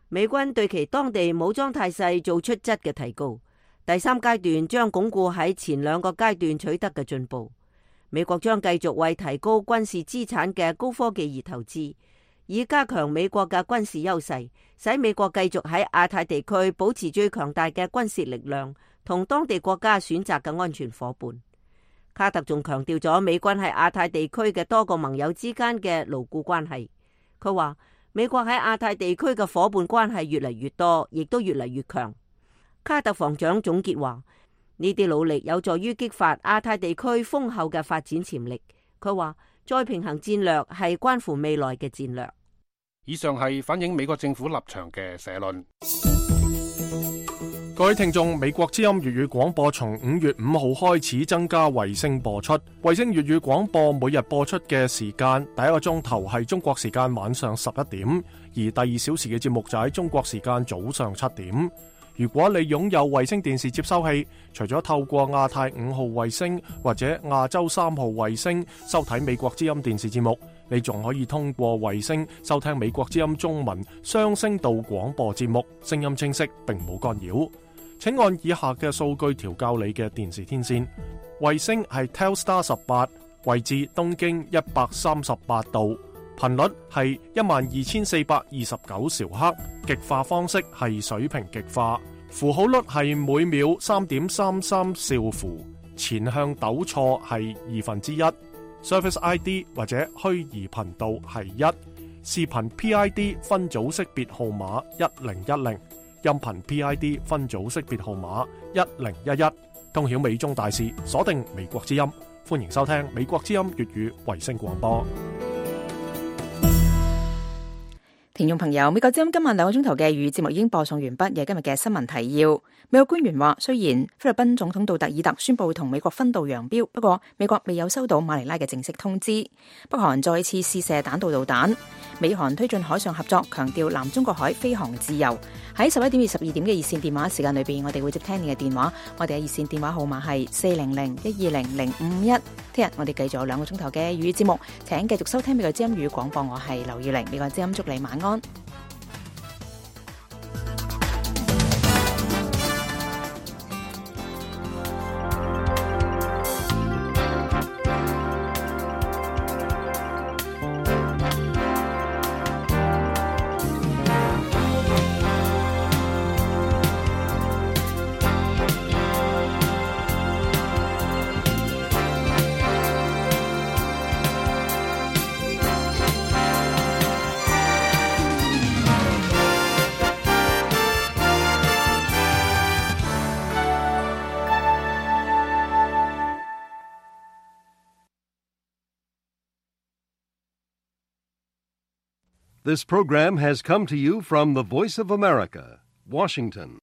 美軍對其當地武裝態勢做出質嘅提高。第三階段將鞏固喺前兩個階段取得嘅進步。美國將繼續為提高軍事資產嘅高科技而投資，以加強美國嘅軍事優勢，使美國繼續喺亞太地區保持最強大嘅軍事力量，同當地國家選擇嘅安全夥伴。卡特仲強調咗美軍喺亞太地區嘅多個盟友之間嘅牢固關係。佢話美國喺亞太地區嘅夥伴關係越嚟越多，亦都越嚟越強。卡特防長總結話，呢啲努力有助於激發亞太地區豐厚嘅發展潛力。佢話再平衡戰略係關乎未來嘅戰略。以上係反映美國政府立場嘅社論。各位聽眾，美國之音粵語廣播從五月五號開始增加衛星播出。衛星粵語廣播每日播出嘅時間，第一個鐘頭係中國時間晚上十一點，而第二小時嘅節目就喺中國時間早上七點。如果你擁有衛星電視接收器，除咗透過亞太五號衛星或者亞洲三號衛星收睇美國之音電視節目，你仲可以通過衛星收聽美國之音中文雙聲道廣播節目，聲音清晰並冇干擾。請按以下嘅數據調校你嘅電視天線。衛星係 Telstar 十八，位置東經一百三十八度，頻率係一萬二千四百二十九兆赫，極化方式係水平極化，符號率係每秒三點三三兆符，前向抖錯係二分之一，Service I D 或者虛擬頻道係一，視頻 P I D 分組識別號碼一零一零。音頻 P I D 分組識別號碼一零一一，通曉美中大事，鎖定美國之音，歡迎收聽美國之音粵語衛星廣播。聽眾朋友，美國之音今晚兩個鐘頭嘅粵語節目已經播送完畢，嘅今日嘅新聞提要。美國官員話，雖然菲律賓總統杜特爾特宣布同美國分道揚鑣，不過美國未有收到馬尼拉嘅正式通知。北韓再次試射彈道導彈。美韓推進海上合作，強調南中國海飛航自由。喺十一點至十二點嘅熱線電話時間裏邊，我哋會接聽你嘅電話。我哋嘅熱線電話號碼係四零零一二零零五一。聽日我哋繼續有兩個鐘頭嘅粵語節目，請繼續收聽美國之音粵語廣播。我係劉耀玲，美國之音祝你晚安。This program has come to you from the Voice of America, Washington.